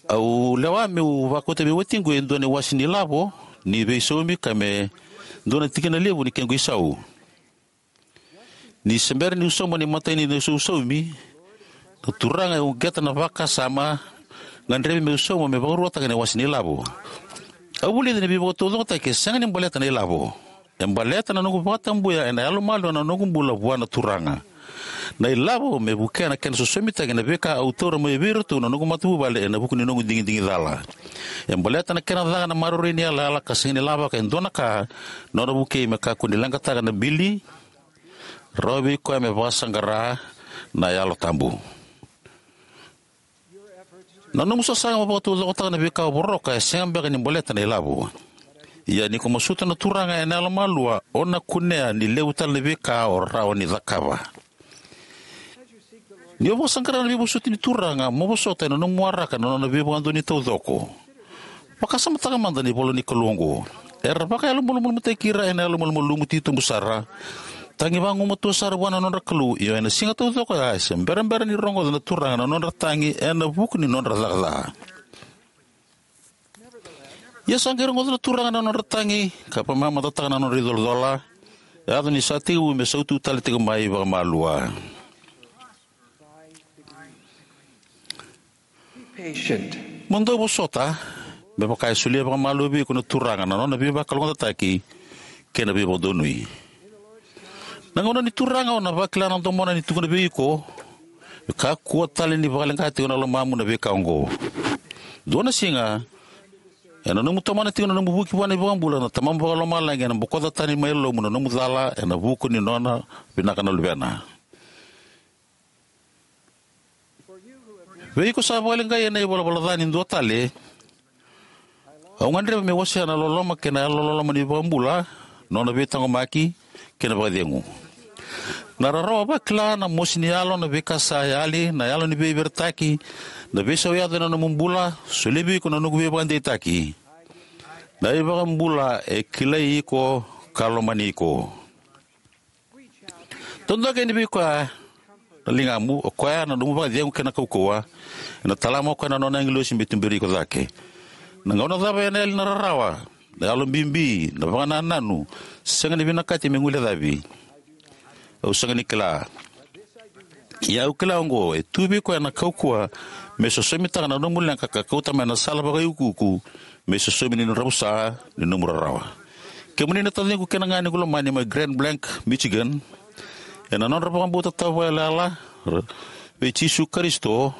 Au lewa meu vakauta vei watiqu e dua na iwase ni lavo ni veisaumi ka me dua na tikina levu ni kequ isau. Ni se bera niu sauma na imatai ni isaumi, na Turaga e uqeta na vakasama gadrevi meu sauma me vakaruataka na iwase ni lavo. Au vulica ni veivakataucokotaki e sega ni baleta na ilavo. E baleta na noqu vakatabuya ena yalomalua na noqu bula vua na Turaga. Na ilavo me vukea na kena sosomitaki na veika au taura mai vei iratou na noqu matavuvale ena vuku ni noqu digidigi cala. E baleta na kena caka na maroroi ni yalayala ka sega ni lavaka e dua na ka, nona vukei me kakua ni leqataka na bili, rawa vei koya me vakasaqara na Yalo Tabu. Na nomu sasaga mo vakataucokotaka na veika o voroka e sega beka ni baleta na ilavo. Ia ni ko masuta na Turaga ena yalomalua, o na kunea ni levu tale na veika o rawa ni cakava. Ni o vakasaqara na veivosoti ni Turaga, mo vosota ena nomu waraka na nona veivakadonui taucoko. Vakasamataka mada na ivola ni Kalou oqo. Era vakayalomalumalumutaki ira ena yalomalumalumu titobu sara, tagi vagumatua sara vua na nodra Kalou, io ena siga taucoko ya e se berabera ni rogoca na Turaga na nodra tagi ena vuku ni nodra caka ca. Ia sa qai rogoca na Turaga na nodra tagi ka vakamamadataka na nodra icolacola, yaco ni sa tekivu me sautu tale tiko mai vakamalua. Mo dau vosota, me vaka e solia vakamalua vei iko na Turaga na nona veivakalougatataki kei na veivakadonui. Na gauna ni Turaga o na vakila na domona ni tukuna vei iko, e kakua tale ni vakaleqa tiko na lomamu na veika oqo. Dua na siga, ena nomu tomana tiko na nomu vuki vua na iVakabula, na Tamamu Vakalomalagi ena bokoca tani mai yalomu na nomu cala ena vuku ni nona vinaka na Luvena. Vei iko sa vakaleqai ena ivalavala ca ni dua tale, au gadreva meu wasea na loloma kei na yalololoma ni iVakabula, nona veitaqomaki kei na vakacegu. Na rarawa vakila, na mosi ni yalo, na veika sa yali, na yalo ni veiviritaki, na veisau yaco ena nomu bula, solia vei iko na noqu veivakadeitaki. Na iVakabula e kilai iko ka lomani iko. Dodoka yani vei koya na ligamu, o koya na nomu vakacegu kei na kaukauwa. Ena talama o koya na nona agilosi me tuberi iko cake. Na gauna cava ena yali na rarawa, na yalo bibi, na vakanananu, sega ni vinakati me guilecavi, au sega ni kila. Ia au kila oqo, e tu vei koya na kaukauwa me sosomitaka na nomu leqa ka kauta mai na sala vakaiukuuku me sosomi ni dravusa ni nomu rarawa. Kemuni na taciqu kei na ganequ lomani mai Grand Blanc, Michigan, ena nodra vakabauta tawa vakaiyalayala vei Jisu Karisito,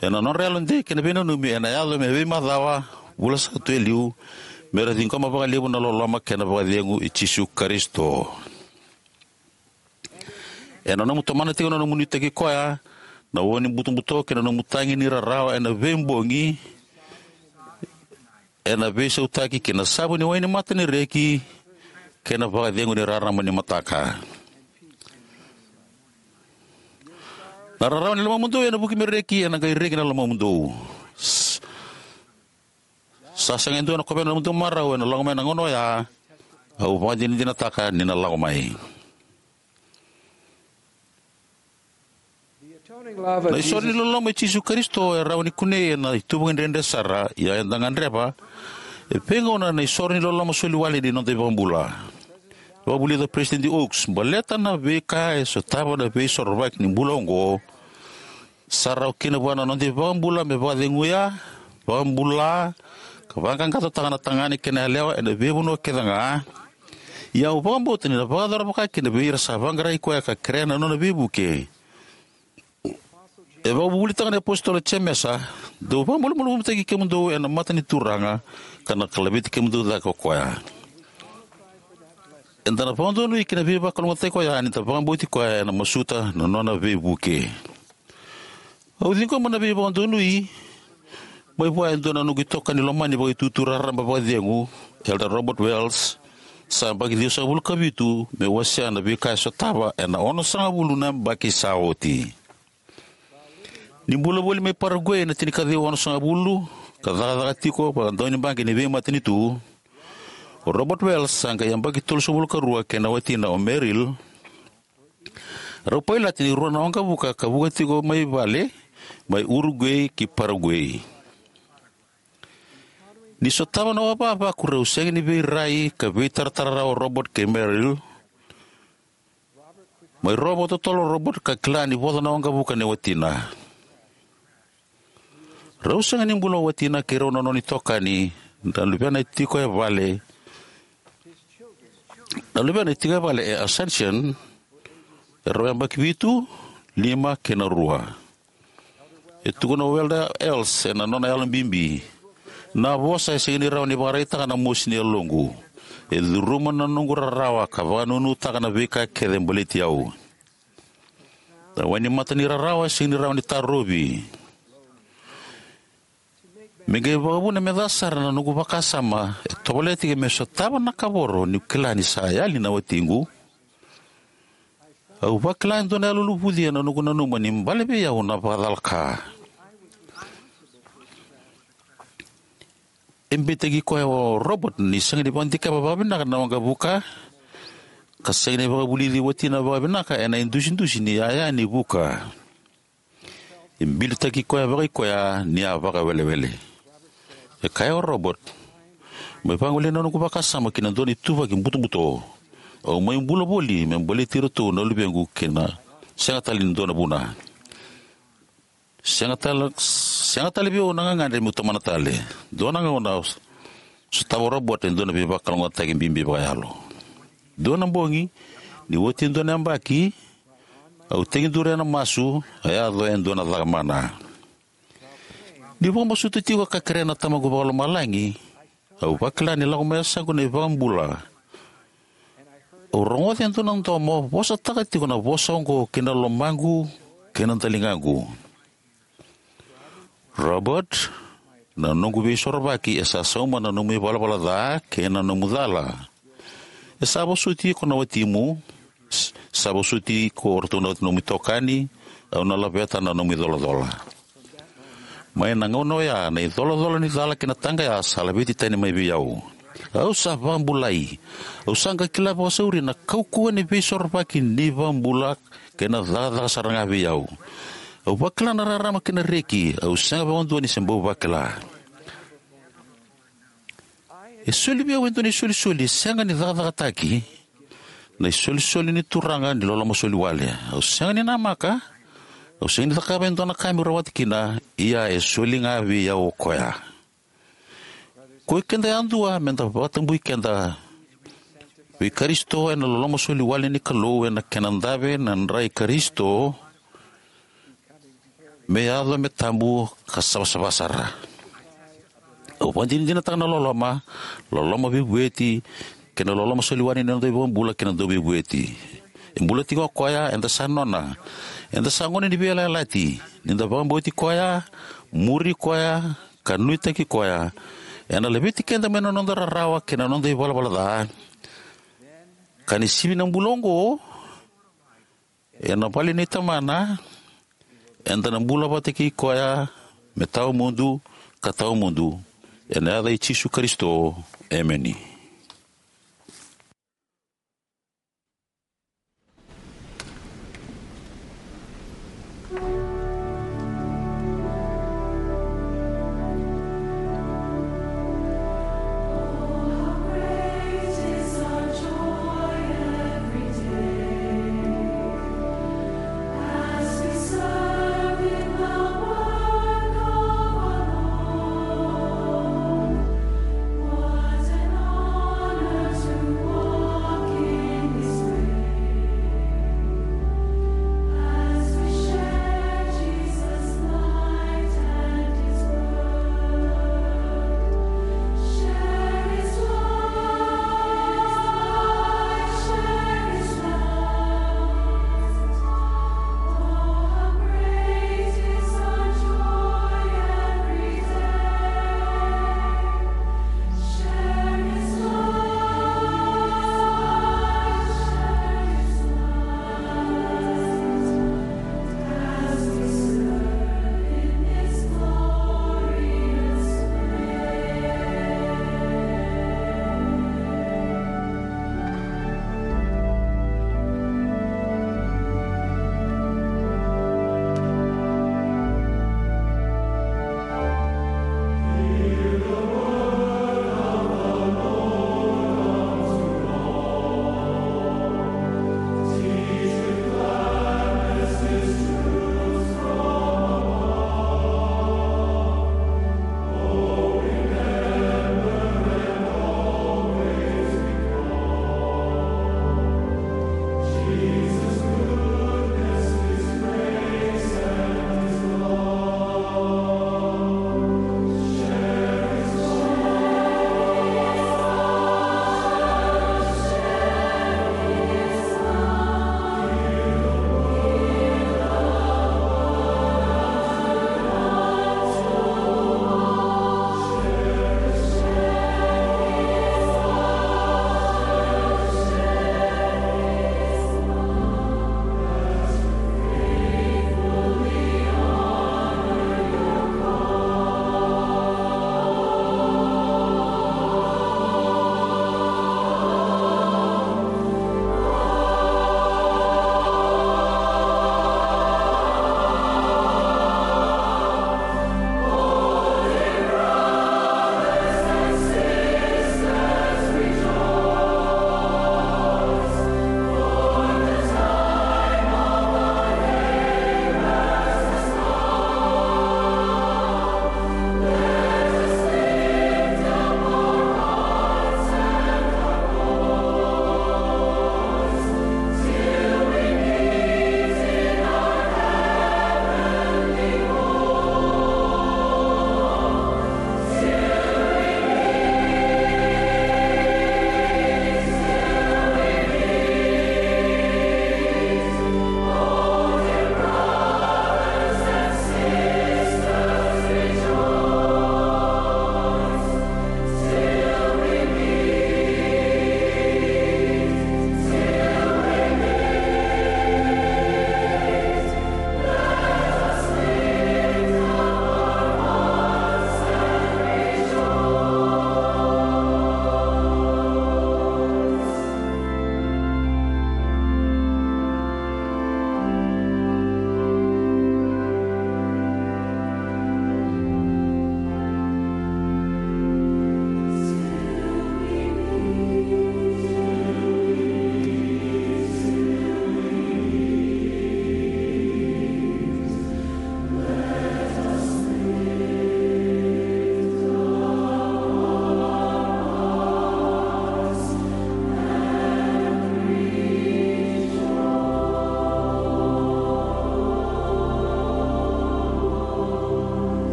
ena nodra yalodei kei na veinanumi, ena yaco me veimacawa, vula sa tu e liu, mera ciqoma vakalevu na loloma kei na vakacegu i Jisu Karisito. Ena nomu tomana tiko na nomu nuitaki koya, na uo ni butobuto kei na nomu tagi ni rarawa ena veibogi, ena veisautaki ki na savu ni wai ni mata ni reki kei na vakacegu ni rarama ni mataka. Na rarawa ni lomamudou ena vuki me reki, ena qai reki na lomamudou. S-, sa sega e dua ena kovea na nomudou marau ena lako mai na gauna oya. Au vakadinadinataka ni na lako mai. Na isoro ni loloma i Jisu Karisito e rawa ni kunei ena ituvaki dredre sara, ia eda gadreva e veigauna na isoro ni loloma soli wale ni noda iVakabula. Vakavulica o Peresitedi Oaks, baleta na veika e sotava na veisorovaki ni bula oqo, sa rawa kina vua na noda iVakabula me vakaceguya, vakabula, ka vaqaqacotaka na tagane kei na yalewa ena veivanua kece ga. Ia au vakabauta ni na vakayacora vaka kina vei ira sa vaqarai koya ka kerea na nona veivuke. E vakavuvulitaka na iApositolo o Jemesa, dou vakamalumalumutaki kemudou ena mata ni Turaga, ka na laveti kemudou cake ko koya. Eda na vakadonui ki na veivakalougatataki koya ni da vakabauti koya ena masuta na nona veivuke. Au ciqoma na veivakadonui Mai vua e dua na noqu itokani lomani vakaitutu raraba vakacegu, Elder Robert Wells, sa yabaki ciwasagavulu ka vitu, meu wasea na veika e sotava ena onosagavulu na yabaki sa oti. Ni bula voli mai Paraguay ena tinikaciwa onosagavulu, ka cakacaka tiko vaka daunibaqi ni veimatanitu, o Robert Wells sa qai yabaki tolusagavulu ka rua kei na watina o Meryl. Rau pailate ni rua na waqavuka ka vuka tiko mai vale, mai Uruguay ki Paraguay. Ni sotava na wavavaku, rau sega ni veirai ka veitaratara rawa o Robert kei Meryl. Mai rovo totolo o Robert ka kila ni voca na waqavuka nei watina. Rau sega ni bula o watina kei rau na nona itokani, na luvena e tiko e vale, na luvena e tiko e vale e Asuncion, e rau yabaki vitu, lima kei na rua. E tukuna o Elder Wells ena nona yalo bibi: Na vosa e sega ni rawa ni vakaraitaka na mosi ni yaloqu. E curuma na noqu rarawa ka vakanunutaka na veika kece e baleti au. Na wainimata ni rarawa e sega ni rawa ni tarovi. Me qai vakavuna me ca sara na noqu vakasama, e tovolea tiko me sotava na kavoro niu kila ni sa yali na watiqu. Au vakila e dua na yaloluluvuci ena noqu nanuma ni bale vei au na vakacalaka. E beitaki koya o Robert ni sega ni vakadikeva vakavinaka na waqavuka, ka sega ni vakavulici watina vakavinaka ena idusidusi ni yaya ni vuka. E bilitaki koya vakaikoya ni a vakawelewele. E kaya o Robert: Mai vagolei na noqu vakasama ki na dua na ituvaki butobuto. Au mai bula voli me baleti iratou na luvequ kei na sega tale ni dua na vuna. Sega tale, sega tale vei au na gagadre meu tomana tale. Dua na gauna, sotava o Robert e dua na veivakalougatataki bibi vakayalo. Dua na bogi, ni oti e dua na yabaki, au tekiduru ena masu, a yaco e dua na caka mana. Niu vakamasuta tiko ka kerea na Tamaqu Vakalomalagi, au vakila ni lako mai yasaqu na iVakabula. Au rogoca e dua na domo vosataka tiko na vosa oqo ki na lomaqu kei na daligaqu: Robert, na noqu veisorovaki e sa sauma na nomu ivalavala ca kei na nomu cala. E sa vosoti iko na watimu, s-, sa vosoti iko o ratou na nomu itokani, au na laveta na nomu icolacola. Mai na gauna oya, na icolacola ni cala kei na taqaya sa laveti tani mai vei au. Au sa vakabulai. Au sa qai kila vakasauri na kaukauwa ni veisorovaki ni iVakabula kei na cakacaka sara ga vei au. Au vakila na rarama kei na reki, au sega vakadua ni se bau vakila. E soli vei au e dua na isolisoli e sega ni cakacakataki, na isolisoli ni Turaga ni loloma soli wale. Au sega ni namaka, au sega ni cakava e dua na ka meu rawata kina, ia e soli ga vei au o koya. Ko i keda yadua, me da vakatabui keda vei Karisito ena loloma soli wale ni Kalou, ena kena dave na dra i Karisito, me yaco me tabu ka savasava sara. Au vakadinadinataka na loloma, loloma veivueti, kei na loloma soli wale ni noda iVakabula kei na Dauveivueti. E bula tiko o koya, eda sa nona. Eda sa gone ni veiyalayalati. Ni da vakabauti koya, muri koya, ka nuitaki koya, ena laveti keda mai na noda rarawa kei na noda ivalavala ca. Ka ni sivi na bula oqo, ena vale nei Tamana, eda na bula vata kei koya me tawamudu ka tawamudu. Ena yaca i Jisu Karisito, emeni.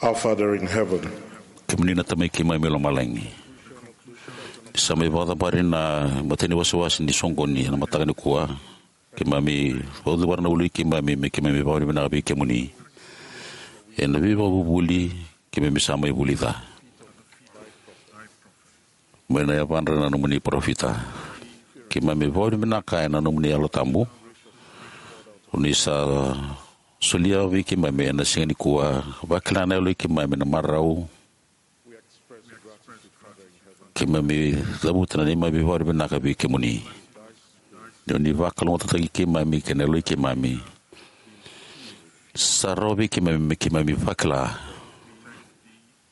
Our Father in heaven, kemuni na Tamai keimami e lomalagi, ni sa mai vakacabari na matai ni wasewase ni soqoni ena mataka nikua. Keimami vakacavara na ulu i keimami me keimami vakavinavinaka vei kemuni ena veivakavuvuli keimami sa mai vulica mai na yavadra na nomuni parofita. Keimami vakavinavinaka ena nomuni Yalo Tabu, o ni sa solia vei keimami ena siga nikua, vakila na yalo i keimami na marau. Keimami cavuta na neimami vakavinavinaka vei kemuni, ni o ni vakalougatataki keimami kei na yalo i keimami. Sa rawa vei keimami me keimami vakila.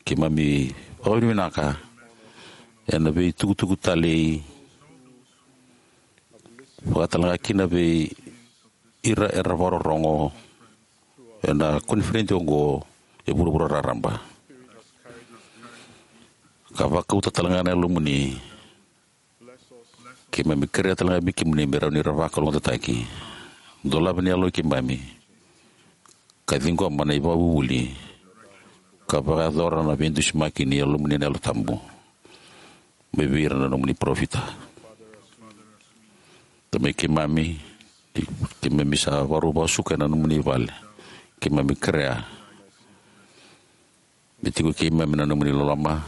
Keimami vakavinavinaka ena veitukutuku talei, vakatalega kina vei ira era vakarorogo ena koniferedi oqo e vuravura raraba, ka vakauta talega na yalomuni. Keimami kerea talega vei kemuni me rawa ni ra vakalougatataki. Dolava ni yalo i keimami, ka ciqoma na ivakavuvuli, ka vakayacora na veidusimaki ni yalomuni na Yalo Tabu mai vei ira na nomuni parofita. Tamai keimami, keimami sa vakarau vakasuka ena nomuni vale. Keimami kerea me tiko keimami na nomuni loloma,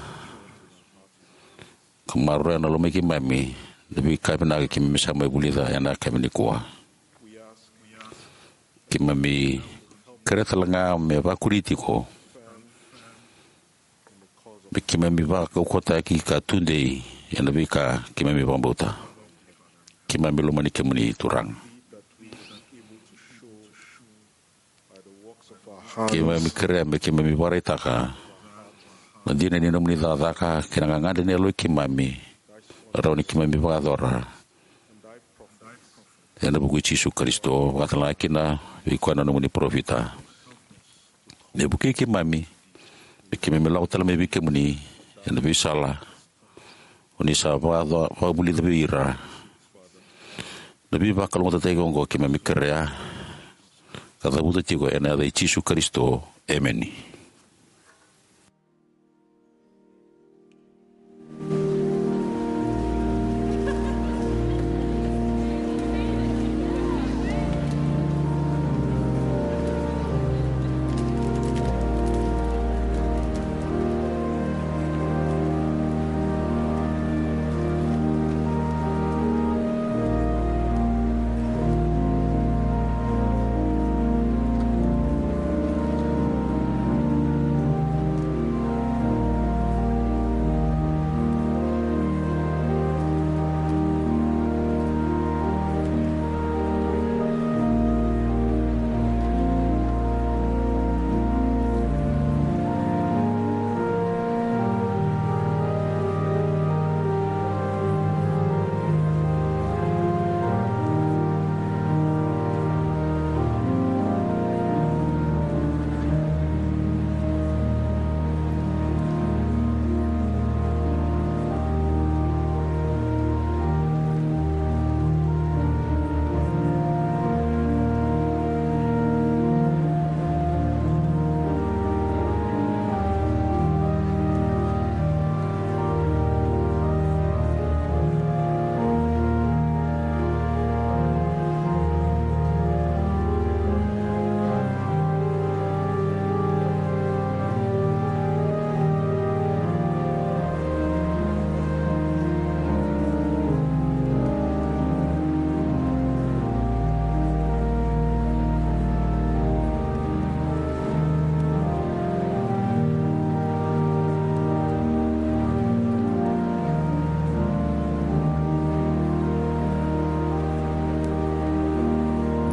ka maroroya na loma i keimami na veika vinaka keimami sa mai vulica ena yakavi nikua. Keimami kerea talega me vakuri tiko, me keimami vakaukauwataki ka tudei ena veika keimami vakabauta. Keimami lomani kemuni, Turaga. Keimami kerea me keimami vakaraitaka na dina ni nomuni cakacaka kei na gagadre ni yalo i keimami, rawa ni keimami vakayacora. Ena vuku i Jisu Karisito, vakatalega kina vei koya na nomuni parofita, me vukei keimami me keimami lako tale mai vei kemuni ena veisala o ni sa vakaco-, vakavulica vei ira. Na veivakalougatataki oqo keimami kerea ka cavuta tiko ena yaca i Jisu Karisito. Emeni.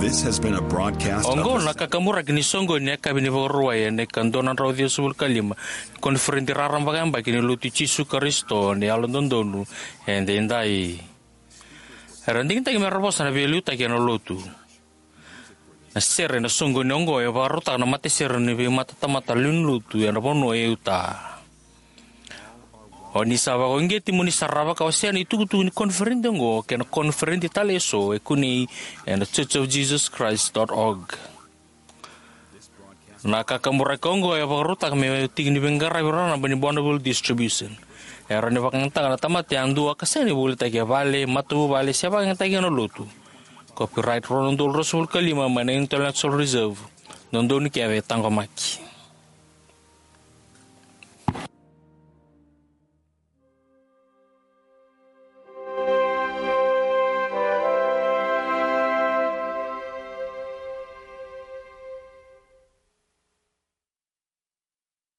This has been a broadcast of Oqo the na kakamuraki ni soqoni ni yakavi ni Vakarauwai ena ika dua na drau ciwasagavulu ka lima ni koniferedi raraba vakayabaki ni Lotu i Jisu Karisito ni Yalododonu Edaidai. Era digitaki mera vosa na veiliutaki ena Lotu. Na sere ena soqoni oqo e vakarautaka na matasere ni veimatatamata lewe ni Lotu ena vanua e Utah. O ni sa vakauqeti mo ni sarava ka wasea na itukutuku ni koniferedi oqo kei na koniferedi tale eso e kunei ena church of jesus christ dot org. Na kakaburaki oqo e vakarautaka me tiki ni veiqaravi raraba ni Bonneville Distribution. E rawa ni vakayagataka na tamata yadua ka sega ni volitaki e vale, matavuvale se vakayagataki ena lotu. Copyright rua na udolu ruasagavulu ka lima mai na Intellectual Reserve. Dodonu kece e taqomaki.